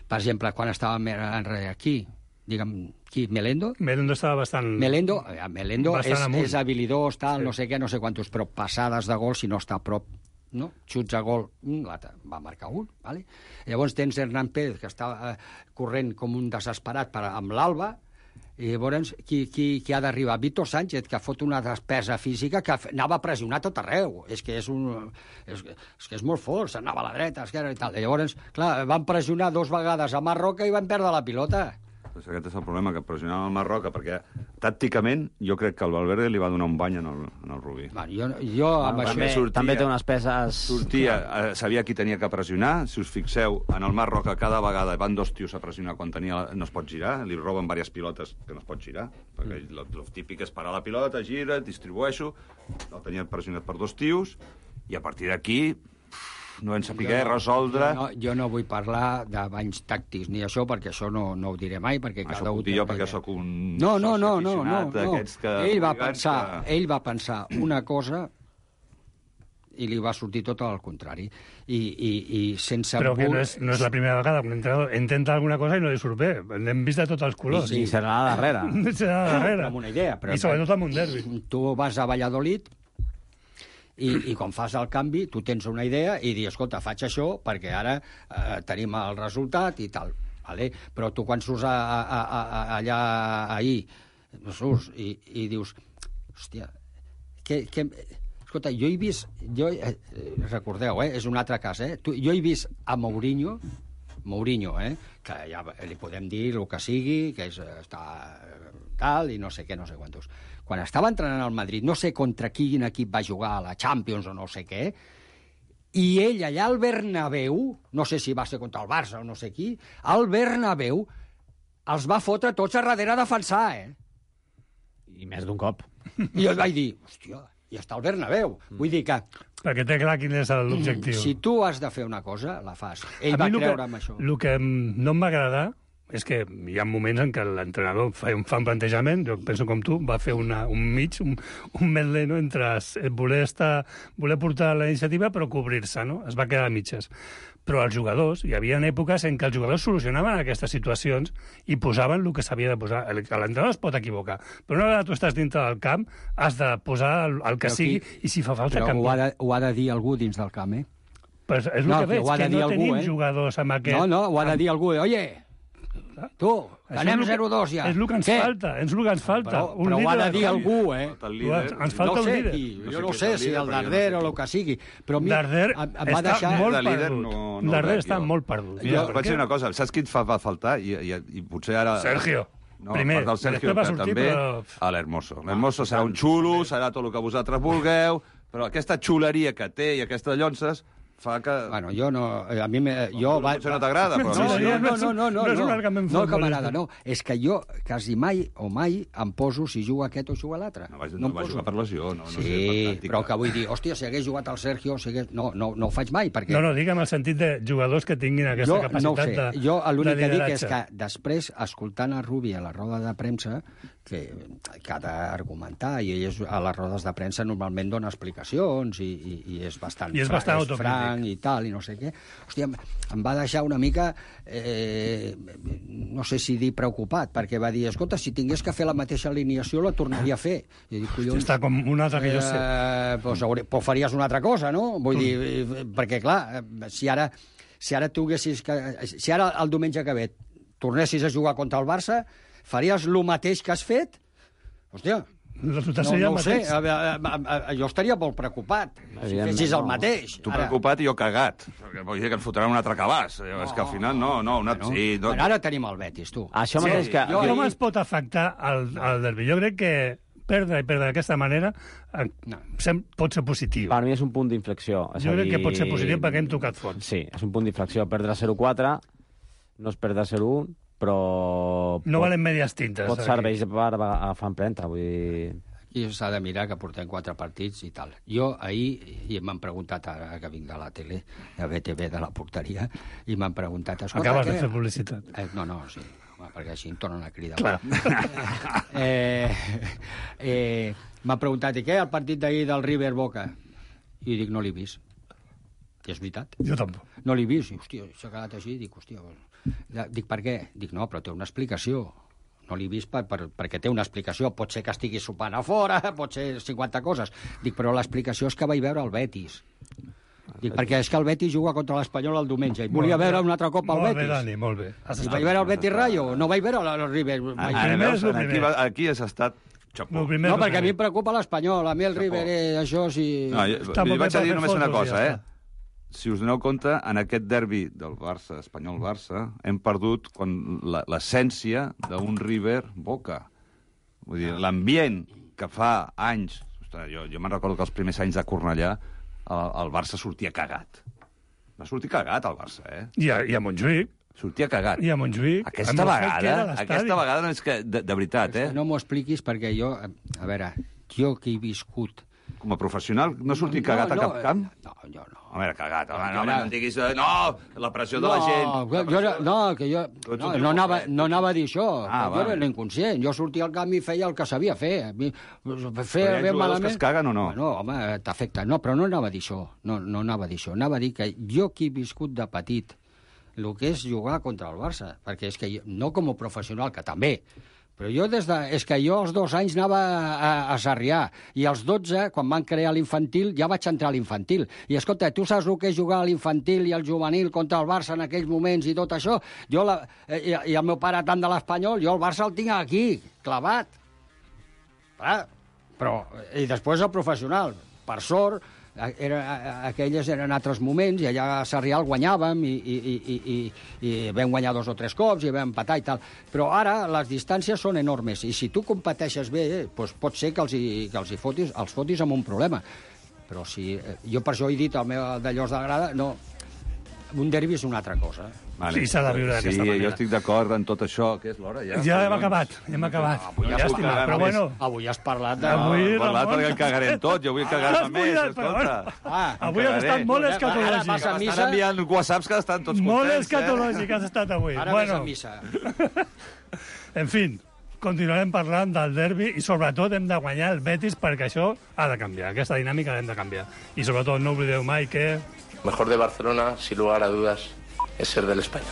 Per exemple, quan estàvem enrere aquí... Digue'm, qui? Melendo? Melendo estava bastant... Melendo, Melendo bastant és, és habilidós, tal, sí. no sé què, no sé quantos, però passades de gol, si no està a prop, no? Xuts a gol, l'altre va marcar un, vale? Llavors tens Hernán Pérez, que està eh, corrent com un desesperat per, amb l'Alba, i llavors qui, qui, qui ha d'arribar? Víctor Sánchez, que fot una despesa física que anava a pressionar tot arreu. És que és, un, és, és, que és molt fort, s'anava a la dreta, esquerra i tal. I llavors, clar, van pressionar dos vegades a Marroca i van perdre la pilota. Pues aquest és el problema, que pressionava el Marroca, perquè tàcticament jo crec que el Valverde li va donar un bany en el, en el Rubí. Bueno, jo, jo amb bueno, això... també, sortia, també té unes peces... Sortia, eh, sabia qui tenia que pressionar. Si us fixeu, en el Marroca cada vegada van dos tios a pressionar quan tenia, no es pot girar, li roben diverses pilotes que no es pot girar, perquè el, el típic és parar la pilota, gira, distribueixo, el tenia pressionat per dos tios, i a partir d'aquí... no en saber resoldre... Jo no, jo no vull parlar de banys tàctics ni això, perquè això no, no ho diré mai, perquè això cada ho dic jo perquè sóc un no, no, no, soci no, no, no. que... Ell va pensar, que... ell va pensar una cosa i li va sortir tot al contrari. I, i, i sense... Però que no és, no és la primera vegada que un entrenador intenta alguna cosa i no li surt bé. L'hem vist de tots els colors. I, sí, serà la darrera. serà la darrera. Amb una idea. Però I sobretot amb un derbi. Tu vas a Valladolid i, i quan fas el canvi tu tens una idea i dius, escolta, faig això perquè ara eh, tenim el resultat i tal. Vale? Però tu quan surts a, a, a, a, allà ahir surts i, i dius, hòstia, que... que escolta, jo he vist... Jo, eh, recordeu, eh, és un altre cas, eh? Tu, jo he vist a Mourinho, Mourinho, eh, que ja li podem dir el que sigui, que és, està tal, i no sé què, no sé quantos. Quan estava entrenant al Madrid, no sé contra quin equip va jugar a la Champions o no sé què, I ell allà al Bernabéu, no sé si va ser contra el Barça o no sé qui, al Bernabéu els va fotre tots a darrere a defensar, eh? I més d'un cop. I jo vaig dir, hòstia, i està al Bernabéu. Mm. Vull dir que... Perquè té clar quin és l'objectiu. Si tu has de fer una cosa, la fas. Ell va creure en això. El que no em va agradar és que hi ha moments en què l'entrenador fa, fa un plantejament, jo penso com tu, va fer una, un mig, un, un medley, no?, entre voler, estar, voler portar la iniciativa però cobrir-se, no? Es va quedar a mitges. Però els jugadors, hi havia èpoques en què els jugadors solucionaven aquestes situacions i posaven el que s'havia de posar. L'entrenador es pot equivocar, però una vegada tu estàs dintre del camp has de posar el, el que però sigui qui... i si fa falta canviar. Però ho ha, de, ho ha de dir algú dins del camp, eh? Pues és el no, que veig, que, que no algú, tenim eh? jugadors amb aquest... No, no, ho ha de dir algú. Oye, tu, anem zero dos ja. És el que ens Què? falta, és el que ens falta. Però, però ho ha de dir algú, eh? Ens falta no un sé líder. Qui, jo no sé si el Darder o el que sigui, però mi, Darder em, em va està deixar... molt de líder perdut. no, no Darder veig, està jo. molt perdut. Mira, vaig dir una cosa, saps qui et fa, va faltar? I, i, i potser ara... Sergio. No, primer, part del Sergio, va que sortir, també, però... a l'Hermoso. L'Hermoso serà un xulo, serà tot el que vosaltres vulgueu, però aquesta xuleria que té i aquestes llonces fa que... Bueno, jo no... A mi me, jo... Va... Potser no t'agrada, però... No, a mi sí. no, no, no, no, no, no és un no, argument no que futbolista. m'agrada, no. És que jo quasi mai o mai em poso si juga aquest o juga l'altre. No, vaig, no, no va jugar per lesió, no, no sí, sé, per tàctica. Però que vull dir, hòstia, si hagués jugat el Sergio, si hagués... no, no, no ho faig mai, perquè... No, no, digue'm el sentit de jugadors que tinguin aquesta jo, capacitat no ho sé. de Jo l'únic que dic lideratge. és que després, escoltant a Rubi a la roda de premsa, que, que ha d'argumentar, i ell és, a les rodes de premsa normalment dona explicacions i, i, i és bastant, I és bastant és franc i tal, i no sé què. Hòstia, em, em va deixar una mica, eh, no sé si dir preocupat, perquè va dir, escolta, si tingués que fer la mateixa alineació la tornaria a fer. I dic, collons, Està com un altre que jo sé. Eh, doncs, hauré, doncs faries una altra cosa, no? Vull mm. dir, perquè clar, si ara, si ara tu haguessis... Que, si ara el diumenge que ve tornessis a jugar contra el Barça, faries el mateix que has fet? Hòstia, no, no ho sé, a, a, a, a, jo estaria molt preocupat si fessis el mateix. Tu preocupat i jo cagat, perquè vull dir que ens fotran un altre cabàs. No, és que al final no, no, una... Bueno, sí, no... Bueno, ara tenim el Betis, tu. Això Sí, mateix que... jo- Com es pot afectar el, el derbi? Jo crec que perdre i perdre d'aquesta manera eh, sem- pot ser positiu. Per mi és un punt d'inflexió. És Jo a crec dir- que pot ser positiu perquè hem tocat fons. Sí, és un punt d'inflexió. Perdre zero quatre, no és perdre zero un, però... No valen medies tintes. Pot aquí. serveix per agafar empremta, vull dir... I s'ha de mirar que portem quatre partits i tal. Jo ahir, i m'han preguntat ara que vinc de la tele, de B T V, de la porteria, i m'han preguntat... Acabes què? de fer publicitat. Eh, no, no, sí, home, perquè així em tornen a cridar. Clar. eh, eh, m'han preguntat, i què, el partit d'ahir del River Boca? I dic, no l'he vist. I és veritat. Jo tampoc. No l'he vist. I, hòstia, s'ha quedat així. Dic, hòstia... Dic, per què? Dic, no, però té una explicació. No l'he vist per, per, perquè té una explicació. Pot ser que estigui sopant a fora, pot ser cinquanta coses. Dic, però l'explicació és que vaig veure el Betis. Dic, perquè és que el Betis juga contra l'Espanyol el diumenge. I volia veure un altre cop el molt Betis. Molt bé, Dani, molt bé. I vaig veure el Betis Rayo. No vaig veure el River. Ah, Vaig... ara veus, el aquí, primer. va- aquí has estat... Xapó. Primer, No, perquè a mi em preocupa l'Espanyol. A mi el River, eh, això sí... No, jo, Està jo molt bé vaig a per dir fer només una fotos, cosa, ja eh? Si us doneu compte, en aquest derbi del Barça, Espanyol-Barça, hem perdut quan la- l'essència d'un River-Boca. Vull dir, l'ambient que fa anys... Ostres, jo, jo me'n recordo que els primers anys de Cornellà el, el Barça sortia cagat. Va sortir cagat, el Barça, eh? I a, i a Montjuïc. Sortia cagat. I a Montjuïc. Aquesta amb el fet que vegada, era l'estadi. aquesta vegada no és que... De, de veritat, eh? No m'ho expliquis perquè jo... A veure, jo que he viscut... Com a professional, no sortir cagat no, a cap camp? No, jo no. A veure, cagat. Home, no, Jo home, era- no em diguis... eh, No, la pressió de la No, gent. jo, jo, era- no, que jo Tu ets no, un no, tio anava, complet. no anava a dir això. Ah, jo va. era l'inconscient. Jo sortia al camp i feia el que sabia fer. A mi, Però hi ha fer ben jugadors malament... que es caguen o no? Bueno, home, t'afecta. No, però no anava a dir això. No, no anava a dir això. Anava a dir que jo que he viscut de petit el que és jugar contra el Barça, perquè és que jo, no com a professional, que també, però jo des de... És que jo als dos anys anava a, a Sarrià, i als dotze, quan van crear l'infantil, ja vaig entrar a l'infantil. I escolta, tu saps el que és jugar a l'infantil i al juvenil contra el Barça en aquells moments i tot això? Jo, la, i, i el meu pare tant de l'Espanyol, jo el Barça el tinc aquí, clavat. Clar, però... I després el professional, per sort, era, aquelles eren altres moments, i allà a Sarrià el guanyàvem, i, i, i, i, i vam guanyar dos o tres cops, i vam empatar i tal. Però ara les distàncies són enormes, i si tu competeixes bé, eh, doncs pot ser que els, hi, que els, hi fotis, els fotis amb un problema. Però si... Eh, jo per això he dit el meu d'allò de grada, no, un derbi és una altra cosa. Vale. Sí, s'ha de viure d'aquesta sí, manera. Jo estic d'acord en tot això. Què és l'hora, ja? Ja hem acabat, hem acabat. Avui ja has, estima, parlat, però bueno... avui has parlat de... Avui, He parlat Ramon... perquè el cagarem tot, jo vull cagar-me més, escolta. Ah, avui has estat molt escatològic. Ara vas a missa... Estan enviant whatsapps que estan tots contents. Molt escatològic has estat avui. Ara bueno. vas a missa. En fi, continuarem parlant del derbi i sobretot hem de guanyar el Betis perquè això ha de canviar, aquesta dinàmica l'hem de canviar. I sobretot no oblideu mai que... Mejor de Barcelona, sin lugar a dudas, es ser del Español.